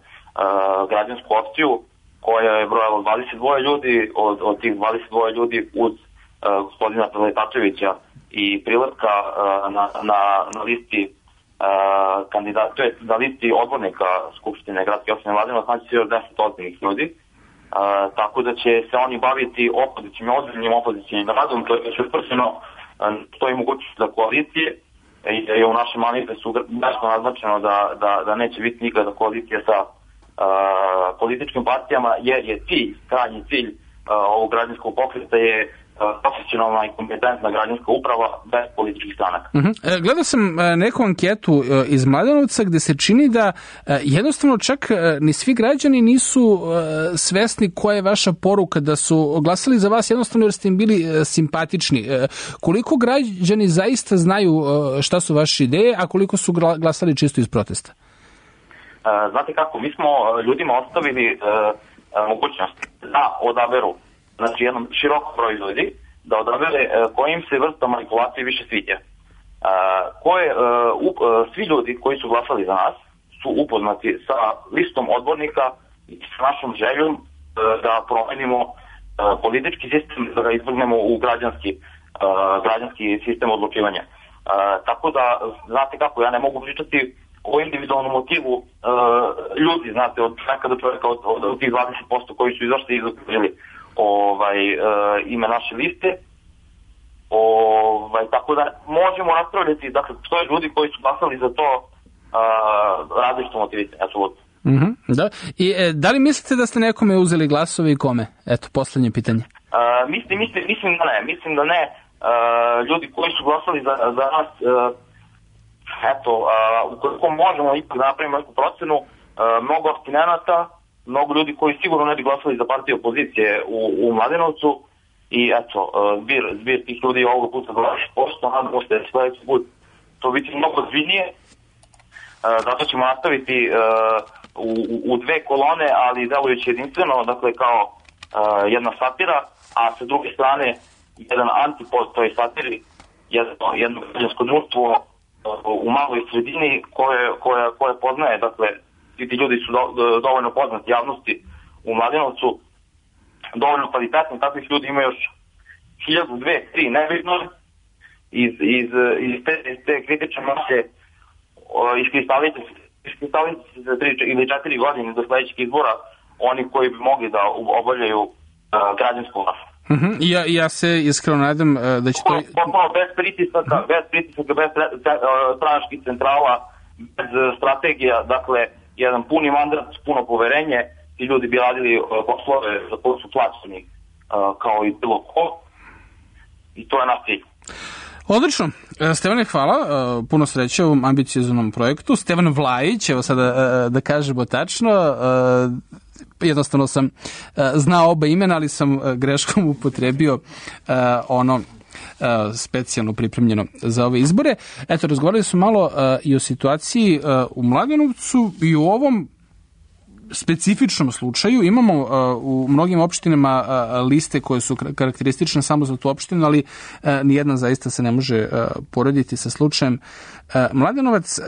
građansku opciju koja je brojala dvadeset dva ljudi, od, od tih dvadeset dva ljudi uz gospodina Preletačevića i Priletka na, na, na listi kandidata, to je na listi odbornika Skupštine gradske opštine Mladenovac, znači se još deset ozbiljnih ljudi. Uh, tako da će se oni baviti opozicijnim, ozbiljnim opozicijnim radom, to je već utvrđeno, uh, to je mogućnost za koalicije i da je u našem manifestu jasno naznačeno da, da, da neće biti nikada koalicija sa uh, političkim partijama, jer je cilj, krajnji cilj uh, ovog građanskog pokreta je profesionalna i kompetentna građanska uprava bez političkih stranaka. Uh-huh. E, gledao sam e, neku anketu e, iz Mladenovca gde se čini da e, jednostavno čak e, ni svi građani nisu e, svesni koja je vaša poruka, da su glasali za vas jednostavno jer ste im bili e, simpatični. E, koliko građani zaista znaju e, šta su vaše ideje, a koliko su glasali čisto iz protesta? E, znate kako, mi smo ljudima ostavili e, mogućnost da odaberu, znači jednom širokom broju ljudi, da odabere kojim se vrsta manipulacije više sviđa. Koje, svi ljudi koji su glasali za nas su upoznati sa listom odbornika i sa našom željom da promenimo politički sistem, da ga izvrgnemo u građanski, građanski sistem odlučivanja. Tako da, znate kako, ja ne mogu pričati o individualnom motivu ljudi, znate, od čovjeka do čovjeka, od, od, od tih dvadeset posto koji su izašli i izokružili ovaj, e, ime naše liste. Ovaj, tako da možemo raspravljati, dakle, što je ljudi koji su glasali za to različito motivisani, apsolutno. Mm-hmm, da. I e, da li mislite da ste nekome uzeli glasove i kome? Eto, poslednje pitanje. Uh, mislim, mislim, mislim da ne, mislim da ne. Uh, ljudi koji su glasali za, za nas, uh, eto, uh, ukoliko možemo ipak da napravimo neku procenu, uh, mnogo abstinenata, mnogo ljudi koji sigurno ne bi glasali za partiju opozicije u, u Mladenovcu i eto, zbir, zbir tih ljudi je ovoga puta dvadeset posto, nadamo se da će sledeći put to biti mnogo zbiljnije, zato ćemo nastaviti u, u dve kolone, ali delujući jedinstveno, dakle kao jedna satira, a sa druge strane jedan antipod toj satiri, jedno, jedno građansko društvo u maloj sredini koje, koje, koje poznaje, dakle, svi ti ljudi su do, do, dovoljno poznati javnosti u Mladenovcu, dovoljno kvalitetni, takvih ljudi ima još hiljadu, dve, tri, nebitno, iz, iz, iz te, te kritične mase iskristalite se za tri ili četiri godine do sledećeg izbora oni koji bi mogli da obavljaju uh, građansku vlast. Uh-huh. Ja, ja se iskreno nadam uh, da će to... Potpuno bez pritisaka, uh-huh. bez pritisaka, bez stranačkih centrala, bez strategija, dakle, jedan puni mandat, puno poverenje, ti ljudi bi radili uh, poslove za koje su plaćeni uh, kao i bilo ko, i to je naš cilj. Odlično. Stevane, hvala. Puno sreće u ovom ambicioznom projektu. Stevan Vlajić, evo sada da kažemo tačno, jednostavno sam znao oba imena, ali sam greškom upotrebio ono specijalno pripremljeno za ove izbore. Eto, razgovarali su malo i o situaciji u Mladenovcu i u ovom specifičnom slučaju. Imamo uh, u mnogim opštinama uh, liste koje su karakteristične samo za tu opštinu, ali uh, nijedna zaista se ne može uh, porediti sa slučajem uh, Mladenovac. Uh,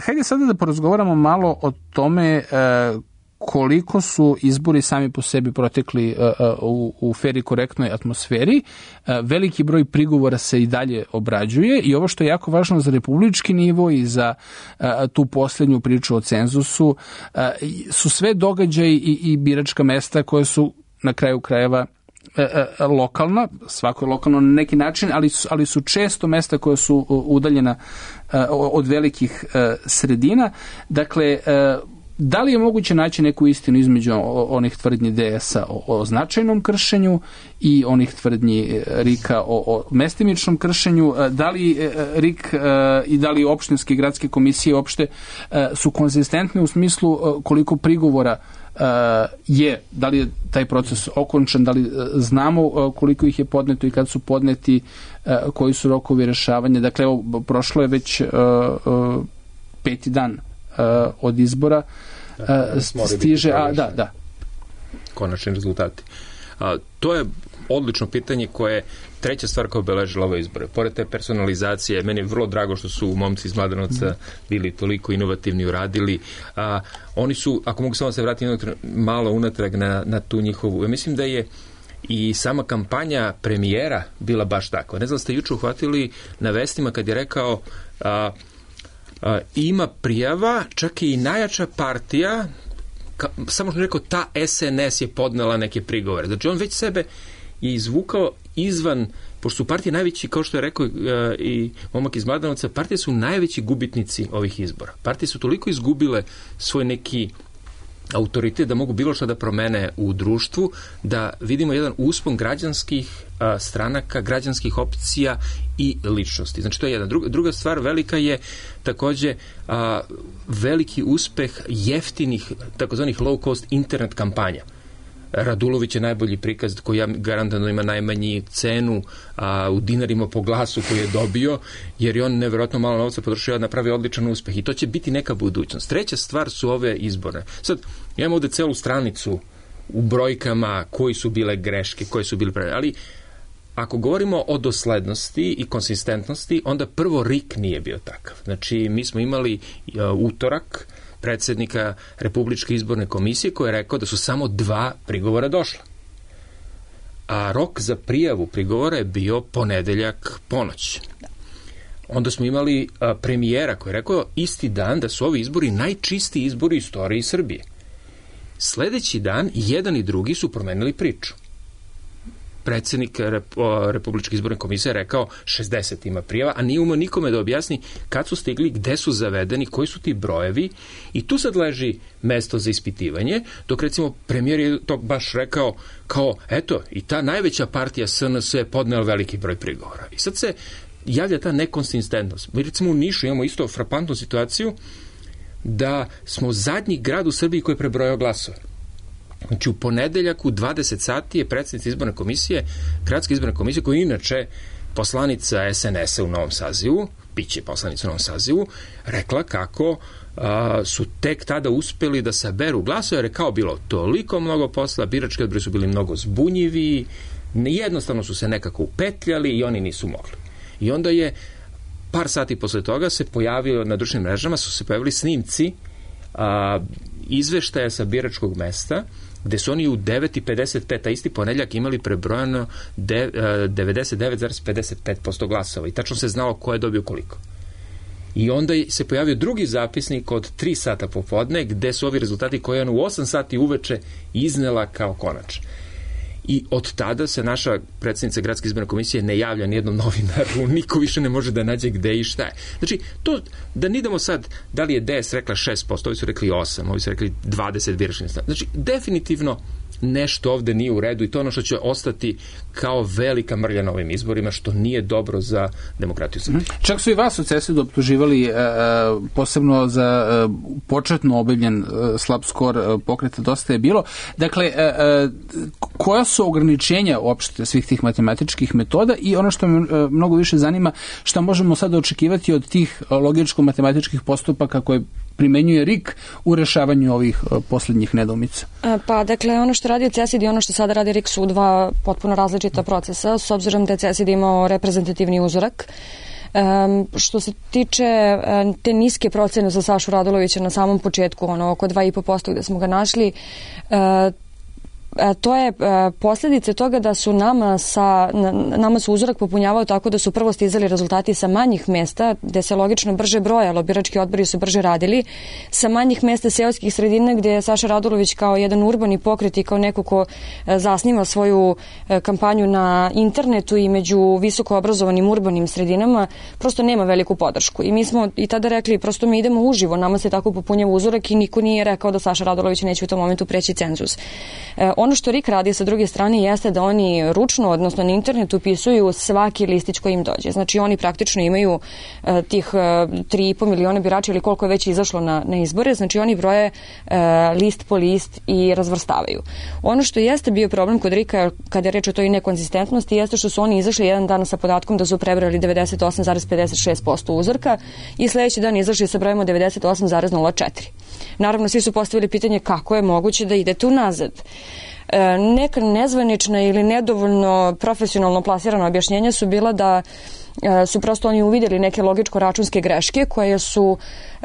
hajde sada da porazgovaramo malo o tome uh, koliko su izbori sami po sebi protekli uh, u, u fer i korektnoj atmosferi. Uh, veliki broj prigovora se i dalje obrađuje i ovo što je jako važno za republički nivo i za uh, tu posljednju priču o cenzusu uh, su sve događaji i, i biračka mesta koje su na kraju krajeva uh, uh, lokalna, svako je lokalno na neki način, ali su, ali su često mesta koje su udaljena uh, od velikih uh, sredina. Dakle, uh, da li je moguće naći neku istinu između onih tvrdnji D S-a o, o značajnom kršenju i onih tvrdnji Rika o, o mestimičnom kršenju? Da li Rik i da li opštinske i gradske komisije uopšte su konzistentne u smislu koliko prigovora je, da li je taj proces okončan, da li znamo koliko ih je podneto i kad su podneti, koji su rokovi rešavanja? Dakle, evo, prošlo je već peti dan od izbora, da, stiže, a da, da. Konačni rezultati. A, to je odlično pitanje koje treća stvar koja obeležila ove izbore. Pored te personalizacije, meni je vrlo drago što su momci iz Mladenovca bili toliko inovativni, uradili. A, oni su, ako mogu samo se vratiti malo unatrag na, na tu njihovu, ja mislim da je i sama kampanja premijera bila baš takva. Ne znam da ste juče uhvatili na vestima kad je rekao a, a, ima prijava, čak i najjača partija, ka, samo što je rekao ta S N S je podnela neke prigovore. Znači on već sebe je izvukao izvan, pošto su partije najveći, kao što je rekao uh, i momak iz Mladenovca, partije su najveći gubitnici ovih izbora. Partije su toliko izgubile svoj neki autoritet da mogu bilo što da promene u društvu, da vidimo jedan uspon građanskih uh, stranaka, građanskih opcija i ličnosti. Znači to je jedna. Druga, druga stvar velika je takođe uh, veliki uspeh jeftinih, takozvanih low cost internet kampanja. Radulović je najbolji prikaz koji ja garantujem ima najmanji cenu a, u dinarima po glasu koji je dobio, jer je on nevjerojatno malo novca potrošio da napravi odličan uspeh i to će biti neka budućnost. Treća stvar su ove izbore. Sad, imamo ovde celu stranicu u brojkama koji su bile greške, koje su bile prave, ali ako govorimo o doslednosti i konsistentnosti, onda prvo R I K nije bio takav. Znači, mi smo imali a, utorak predsjednika Republičke izborne komisije koji je rekao da su samo dva prigovora došla. A rok za prijavu prigovora je bio ponedeljak ponoć. Onda smo imali a, premijera koji je rekao isti dan da su ovi izbori najčistiji izbori u istoriji Srbije. Sledeći dan jedan i drugi su promenili priču. Predsjednik Republičke izborne komisije rekao šezdeset ima prijava, a nije umeo nikome da objasni kad su stigli, gde su zavedeni, koji su ti brojevi i tu sad leži mesto za ispitivanje, dok recimo premijer je to baš rekao kao, eto, i ta najveća partija S N S je podnela veliki broj prigovora. I sad se javlja ta nekonsistentnost. Mi recimo u Nišu imamo isto frapantnu situaciju da smo zadnji grad u Srbiji koji je prebrojao glasove. Znači u ponedeljak u dvadeset sati je predsjednica izborne komisije, gradske izborne komisije, koja je inače poslanica S N S-a u novom sazivu, biće poslanica u novom sazivu, rekla kako a, su tek tada uspeli da saberu glasove, jer je kao bilo toliko mnogo posla, birački odbori su bili mnogo zbunjivi, jednostavno su se nekako upetljali i oni nisu mogli. I onda je par sati posle toga se pojavio na društvenim mrežama, su se pojavili snimci a, izveštaja sa biračkog mesta, gde su oni u devet i pedeset pet, a isti ponedjeljak imali prebrojano devedeset devet zarez pedeset pet posto glasova i tačno se znalo ko je dobio koliko. I onda se pojavio drugi zapisnik od tri sata popodne, gde su ovi rezultati koje on u osam sati uveče iznela kao konač. I od tada se naša predsjednica Gradske izborne komisije ne javlja nijednom novinaru, niko više ne može da nađe gde i šta je. Znači, to, da ne idemo sad, da li je D S rekla šest posto, ovi su rekli osam, ovi su rekli dvadeset biračkih mesta. Znači, definitivno nešto ovde nije u redu i to ono što će ostati kao velika mrlja na ovim izborima, što nije dobro za demokratiju Srbije. Čak su i vas u C S I D optuživali e, posebno za e, početno objavljen e, slab skor e, pokreta Dosta je bilo. Dakle, e, e, koja su ograničenja uopšte svih tih matematičkih metoda i ono što me e, mnogo više zanima, šta možemo sada očekivati od tih logičko-matematičkih postupaka koje primenjuje R I K u rešavanju ovih uh, posljednjih nedoumica? Pa, dakle, ono što radi C S I D i ono što sada radi R I K su dva potpuno različita procesa, s obzirom da je C S I D imao reprezentativni uzorak. Um, što se tiče um, te niske procene za Sašu Radulovića na samom početku, ono oko dva i po posto gde smo ga našli, uh, to je posljedice toga da su nama sa nama su uzorak popunjavao tako da su prvo stizali rezultati sa manjih mesta gde se logično brže brojalo, birački odbori su brže radili, sa manjih mesta seoskih sredina gde je Saša Radulović kao jedan urbani pokret i kao neko ko zasniva svoju kampanju na internetu i među visoko obrazovanim urbanim sredinama prosto nema veliku podršku. I mi smo i tada rekli prosto mi idemo uživo, nama se tako popunjava uzorak i niko nije rekao da Saša Radulović neće u tom momentu preći cenzus. Ono što R I K radi sa druge strane jeste da oni ručno, odnosno na internetu upisuju svaki listić koji im dođe. Znači oni praktično imaju uh, tih uh, tri i po miliona birača ili koliko je već izašlo na, na izbore, znači oni broje uh, list po list i razvrstavaju. Ono što jeste bio problem kod R I K-a kada je reč o toj nekonzistentnosti jeste što su oni izašli jedan dan sa podatkom da su prebrali devedeset osam zarez pedeset šest posto uzorka i sledeći dan izašli sa brojem od devedeset osam zarez nula četiri. naravno svi su postavili pitanje kako je moguće da idete unazad. E, neka nezvanična ili nedovoljno profesionalno plasirana objašnjenja su bila da e, su prosto oni uvidjeli neke logičko-računske greške koje su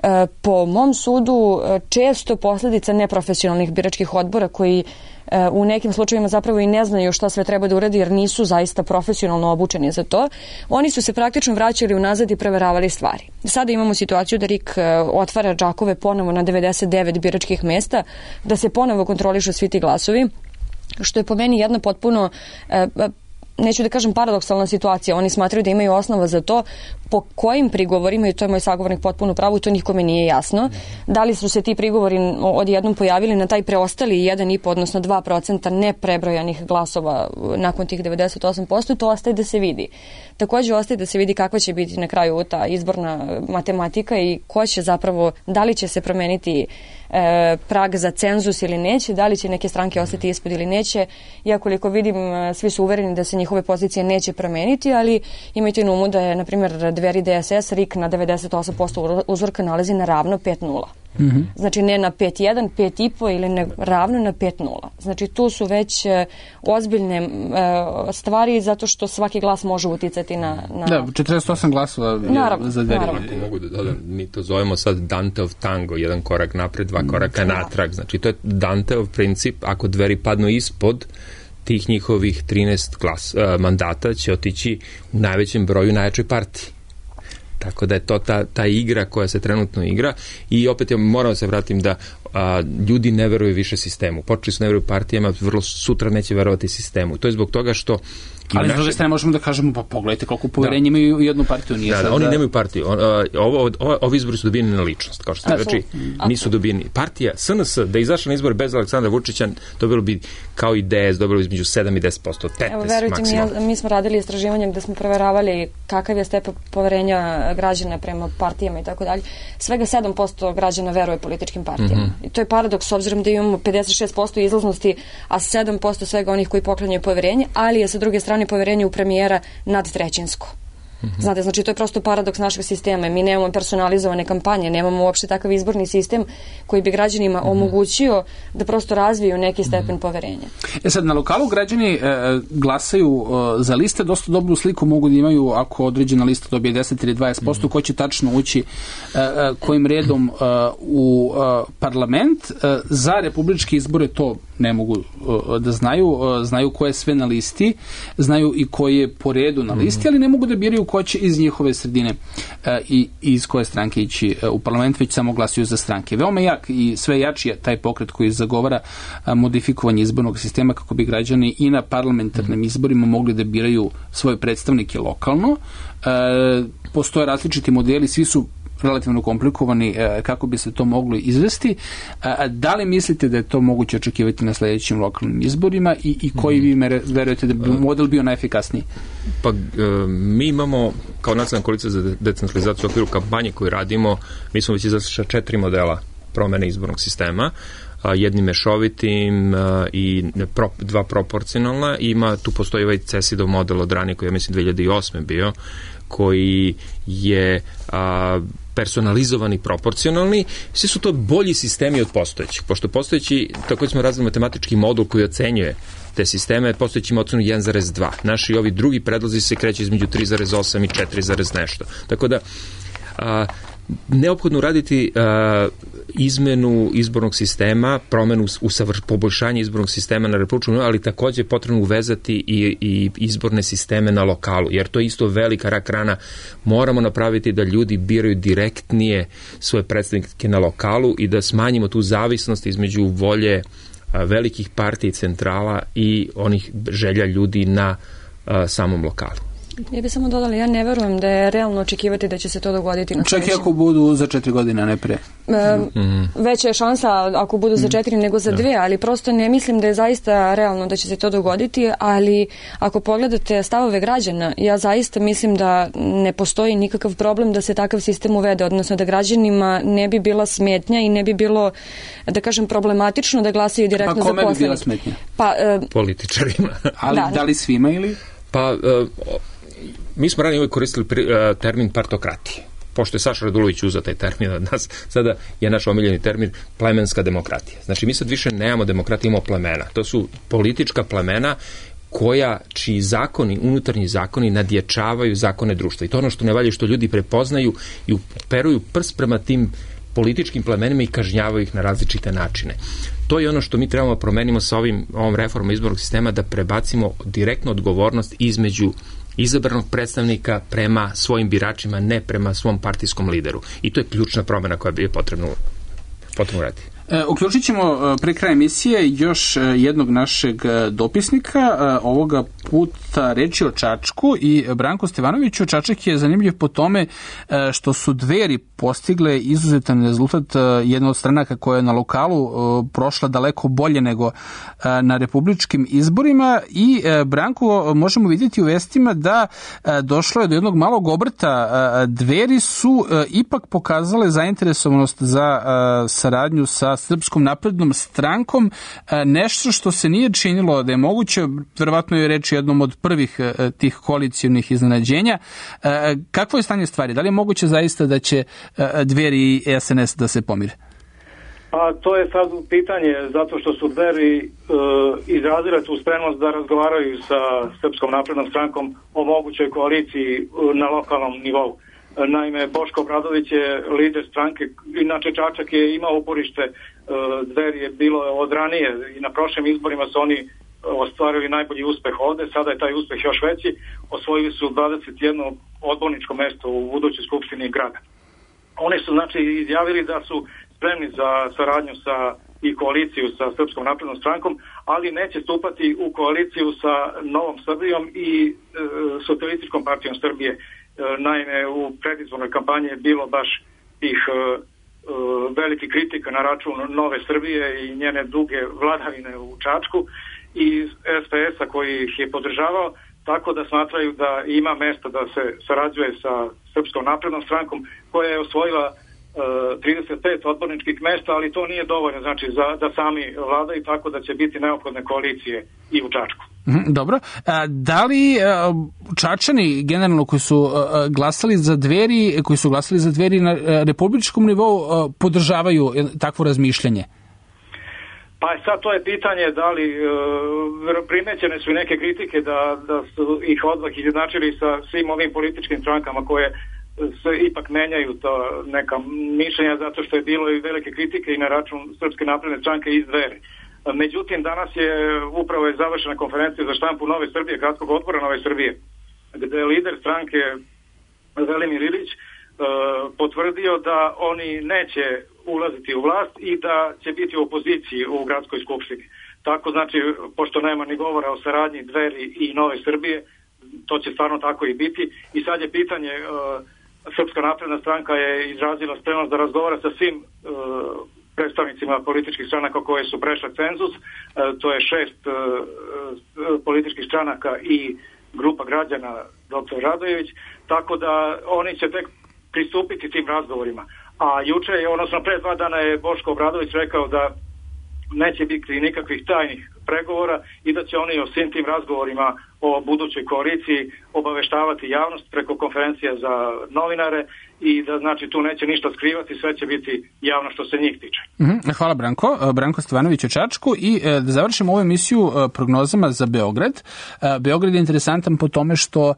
e, po mom sudu e, često posljedica neprofesionalnih biračkih odbora koji e, u nekim slučajevima zapravo i ne znaju šta sve treba da uradi jer nisu zaista profesionalno obučeni za to. Oni su se praktično vraćali unazad i preveravali stvari. Sada imamo situaciju da R I K e, otvara džakove ponovo na devedeset devet biračkih mesta, da se ponovo kontrolišu svi ti glasovi, što je po meni jedna potpuno, e, neću da kažem paradoksalna situacija. Oni smatraju da imaju osnova za to. Po kojim prigovorima, i to je moj sagovornik potpuno pravo, to nikome nije jasno. Da li su se ti prigovori odjednom pojavili na taj preostali jedan i po, odnosno dva procenta neprebrojanih glasova nakon tih devedeset osam posto, to ostaje da se vidi. Također ostaje da se vidi kakva će biti na kraju ta izborna matematika i ko će zapravo, da li će se promeniti e, prag za cenzus ili neće, da li će neke stranke ostati ispod ili neće. Ja koliko vidim, svi su uvereni da se njihove pozicije neće promeniti, ali imajte na umu da je, na primjer, Dveri D S S R I K na devedeset osam posto uzorka nalazi na ravno pet nula. Mm-hmm. Znači ne na pet jedan, pet i po ili ne, ravno na pet nula. Znači tu su već e, ozbiljne e, stvari zato što svaki glas može uticati na... na... Da, četrdeset osam glasova naravno, za Dveri. Naravno. Mogu da dodam, mi to zovemo sad Danteov tango, jedan korak napred, dva koraka mm, natrag. Znači to je Danteov princip, ako Dveri padnu ispod tih njihovih trinaest glas, uh, mandata će otići u najvećem broju najjačoj partiji. Tako da je to ta, ta igra koja se trenutno igra i opet ja moram da se vratim da a, ljudi ne veruju više sistemu. Počeli su ne veruju partijama, vrlo sutra neće verovati sistemu. To je zbog toga što ali s druge strane možemo da kažemo, pa pogledajte koliko poverenja imaju u jednu partiju. Nije da, sad da, oni nemaju partiju. On, ovo, ovo, ovi izbori su dobijeni na ličnost, kao što ste reči, nisu dobijeni. Partija S N S, da je izašla na izbor bez Aleksandra Vučića, dobilo bi kao i D S, dobilo bi između sedam i deset posto, petnaest Evo, verujte maksimalno. mi, mi smo radili istraživanje gde smo proveravali kakav je stepen poverenja građana prema partijama i tako dalje. Svega sedam posto građana veruje političkim partijama. Mm-hmm. I to je paradoks s obzirom da imamo pedeset šest posto izlaznosti, a sedam posto svega onih koji poklanjaju poverenje, ali je sa druge strane poverenje u premijera nadtrećinsko. Mm-hmm. Znate, znači to je prosto paradoks našeg sistema. Mi nemamo personalizovane kampanje, nemamo uopšte takav izborni sistem koji bi građanima mm-hmm. omogućio da prosto razviju neki stepen mm-hmm. poverenja. E sad, na lokalu građani e, glasaju e, za liste, dosta dobru sliku mogu da imaju ako određena lista dobije deset ili dvadeset posto, mm-hmm. ko će tačno ući e, e, kojim redom e, u e, parlament. E, za republičke izbore to ne mogu uh, da znaju, uh, znaju ko je sve na listi, znaju i ko je po redu na listi, mm-hmm. ali ne mogu da biraju ko će iz njihove sredine uh, i iz koje stranke ići uh, u parlament, već samo glasuju za stranke. Veoma jak i sve jači je taj pokret koji zagovara uh, modifikovanje izbornog sistema kako bi građani i na parlamentarnim mm-hmm. izborima mogli da biraju svoje predstavnike lokalno. Uh, postoje različiti modeli, svi su relativno komplikovani kako bi se to moglo izvesti. Da li mislite da je to moguće očekivati na sljedećim lokalnim izborima i, i koji vi mere, verujete da bi model bio najefikasniji? Pa mi imamo kao nacionalna koalicija za decentralizaciju u okviru kampanje koju radimo, mi smo već izašli četiri modela promene izbornog sistema, jednim mešovitim i pro, dva proporcionalna. Ima, tu postoji ovaj CESID-ov model od ranije koji je, mislim, dve hiljade osme bio, koji je a, personalizovani, proporcionalni. Svi su to bolji sistemi od postojećih, pošto postojeći, tako smo razvili matematički modul koji ocenjuje te sisteme, postojeći ima ocenu jedan zarez dva. Naši ovi drugi predlozi se kreću između tri zarez osam i četiri zarez nešto. Tako da a, neophodno raditi a, izmenu izbornog sistema, promenu usavr, poboljšanje izbornog sistema na republičkom, ali takođe je potrebno uvezati i, i izborne sisteme na lokalu, jer to je isto velika rak rana. Moramo napraviti da ljudi biraju direktnije svoje predstavnike na lokalu i da smanjimo tu zavisnost između volje a, velikih partija i centrala i onih želja ljudi na a, samom lokalu. Ja bih samo dodala, ja ne verujem da je realno očekivati da će se to dogoditi. Čak i ako budu za četiri godine, a ne pre. E, mm-hmm. Veća je šansa ako budu za četiri nego za dve, ali prosto ne mislim da je zaista realno da će se to dogoditi, ali ako pogledate stavove građana, ja zaista mislim da ne postoji nikakav problem da se takav sistem uvede, odnosno da građanima ne bi bila smetnja i ne bi bilo, da kažem, problematično da glasaju direktno za poslanike. Pa kome bi bila smetnja? Pa, e, političarima. Ali da, da li svima ili? Pa, uh, mi smo ranije uvijek koristili pri, uh, termin partokratije. pošto je Saša Radulović uzeo taj termin od nas, sada je naš omiljeni termin plemenska demokratija. Znači, mi sad više nemamo demokratiju, imamo plemena. To su politička plemena koja, čiji zakoni, unutarnji zakoni nadjačavaju zakone društva. I to ono što ne valja, što ljudi prepoznaju i uperuju prst prema tim političkim plemenima i kažnjavaju ih na različite načine. To je ono što mi trebamo promenimo sa ovim, ovom reformom izbornog sistema, da prebacimo direktnu odgovornost između izabranog predstavnika prema svojim biračima, ne prema svom partijskom lideru. I to je ključna promena koja bi je potrebno, potrebno raditi. E, uključit ćemo pre kraja emisije još jednog našeg dopisnika, e, ovoga puta reči o Čačku i Branko Stevanoviću. Čačak je zanimljiv po tome e, što su Dveri postigle izuzetan rezultat, e, jedna od stranaka koja je na lokalu e, prošla daleko bolje nego e, na republičkim izborima i e, Branko, možemo vidjeti u vestima da e, došlo je do jednog malog obrta. E, Dveri su e, ipak pokazale zainteresovanost za e, saradnju sa Srpskom naprednom strankom, nešto što se nije činilo da je moguće, verovatno je reč jednom od prvih tih koalicionih iznenađenja. Kakvo je stanje stvari? Da li je moguće zaista da će Dveri i S N S da se pomire? Pa to je sad pitanje, zato što su Dveri e, izrazile tu spremnost da razgovaraju sa Srpskom naprednom strankom o mogućoj koaliciji na lokalnom nivou. Naime, Boško Obradović je lider stranke, inače Čačak je imao uporište, Dveri je bilo od ranije i na prošlim izborima su oni ostvarili najbolji uspeh ovde, sada je taj uspeh još veći, osvojili su dvadeset jedno odborničko mesto u budućoj skupštini grada. Oni su znači izjavili da su spremni za saradnju sa i koaliciju sa Srpskom naprednom strankom, ali neće stupati u koaliciju sa Novom Srbijom i e, Socijalističkom partijom Srbije. Naime, u predizbornoj kampanji je bilo baš tih uh, uh, veliki kritika na račun Nove Srbije i njene duge vladavine u Čačku i S P S-a koji ih je podržavao, tako da smatraju da ima mesta da se sarađuje sa Srpskom naprednom strankom koja je osvojila uh, trideset pet odborničkih mesta, ali to nije dovoljno, znači za, da sami vladaju, tako da će biti neophodne koalicije i u Čačku. Dobro. Da li Čačani generalno koji su glasali za Dveri, koji su glasali za Dveri na republičkom nivou podržavaju takvo razmišljanje? Pa sad to je pitanje da li primećene su i neke kritike da, da su ih odmah izjednačili sa svim ovim političkim strankama koje se ipak menjaju to neka mišljenja, zato što je bilo i velike kritike i na račun Srpske napredne stranke iz Dveri. Međutim, danas je upravo je završena konferencija za štampu Nove Srbije, gradskog odbora Nove Srbije, gde je lider stranke Velimir Ilić e, potvrdio da oni neće ulaziti u vlast i da će biti u opoziciji u gradskoj skupštini. Tako znači, pošto nema ni govora o saradnji Dveri i Nove Srbije, to će stvarno tako i biti. I sad je pitanje, e, Srpska napredna stranka je izrazila spremnost da razgovara sa svim e, predstavnicima političkih stranaka koje su prešle cenzus, e, to je šest e, političkih stranaka i grupa građana doktor Radojević, tako da oni će tek pristupiti tim razgovorima. A juče je, odnosno pre dva dana je Boško Obradović rekao da neće biti nikakvih tajnih pregovora i da će oni o svim tim razgovorima o budućoj koaliciji obaveštavati javnost preko konferencija za novinare i da znači tu neće ništa skrivati, sve će biti javno što se njih tiče. Hvala Branko. Branko Stevanović o Čačku i da završimo ovu emisiju prognozama za Beograd. Beograd je interesantan po tome što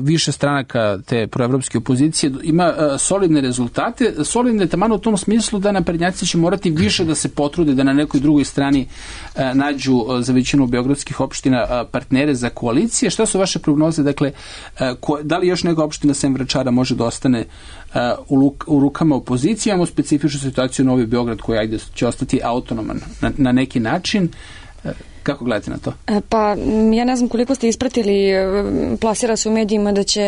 više stranaka te proevropske opozicije ima solidne rezultate, solidne taman u tom smislu da naprednjaci će morati više da se potrude da na nekoj drugoj strani nađu za većinu beogradskih opština partnere za koalicije. Šta su vaše prognoze? Dakle, da li još neka opština sem Vračara može da ostane u, luk, u rukama opozicije? Imamo specifičnu situaciju u Novi Beograd koji ajde će ostati autonoman na, na neki način. Kako gledate na to? Pa, ja ne znam koliko ste ispratili, plasira se u medijima da će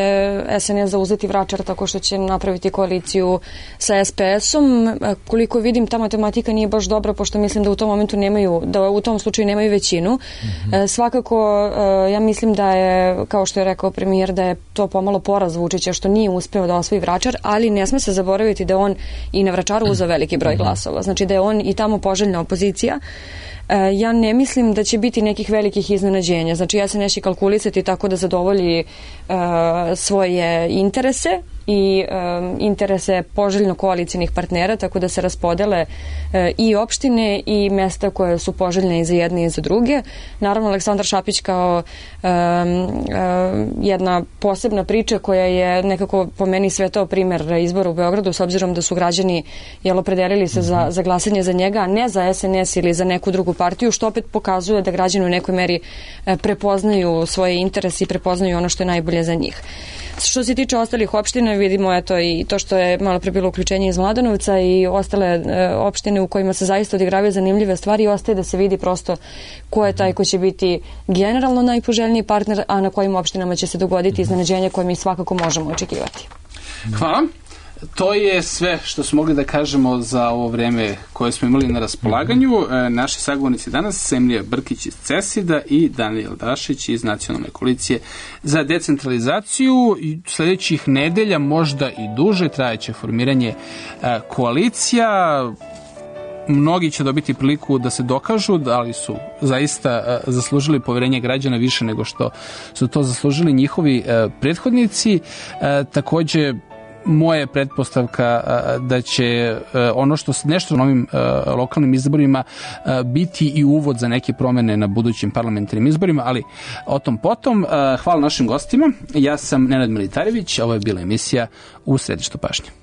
S N S zauzeti Vračar tako što će napraviti koaliciju sa S P S-om. Koliko vidim, ta matematika nije baš dobra, pošto mislim da u tom momentu nemaju, da u tom slučaju nemaju većinu. Mm-hmm. Svakako, ja mislim da je, kao što je rekao premijer, da je to pomalo poraz Vučića što nije uspeo da osvoji Vračar, ali ne sme se zaboraviti da on i na Vračaru uzeo veliki broj glasova. Znači da je on i tamo poželjna opozicija. Ja ne mislim da će biti nekih velikih iznenađenja. Znači ja se neći kalkulisati tako da zadovolji uh, svoje interese i um, interese poželjno koalicijnih partnera, tako da se raspodele uh, i opštine i mesta koje su poželjne i za jedne i za druge. Naravno, Aleksandar Šapić kao um, um, jedna posebna priča koja je nekako po meni svetao primer izbora u Beogradu, s obzirom da su građani jel, opredelili se za, za glasanje za njega, a ne za S N S ili za neku drugu partiju, što opet pokazuje da građani u nekoj meri prepoznaju svoje interese i prepoznaju ono što je najbolje za njih. Što se tiče ostalih opština, vidimo eto i to što je malo pre bilo uključenje iz Mladenovca i ostale e, opštine u kojima se zaista odigravaju zanimljive stvari i ostaje da se vidi prosto ko je taj ko će biti generalno najpoželjniji partner, a na kojim opštinama će se dogoditi iznenađenje koje mi svakako možemo očekivati. Hvala. To je sve što smo mogli da kažemo za ovo vreme koje smo imali na raspolaganju. E, naši sagovornici danas, Emilija Brkić iz CESID-a i Danijel Dašić iz Nacionalne koalicije za decentralizaciju. I sledećih nedelja, možda i duže, trajeće formiranje e, koalicija. Mnogi će dobiti priliku da se dokažu da li su zaista uh, zaslužili poverenje građana više nego što su to zaslužili njihovi uh, prethodnici. Uh, takođe, moja je pretpostavka uh, da će uh, ono što nešto na ovim uh, lokalnim izborima uh, biti i uvod za neke promene na budućim parlamentarnim izborima, ali o tom potom. Uh, hvala našim gostima. Ja sam Nenad Militarević, ovo je bila emisija U središtu pažnje.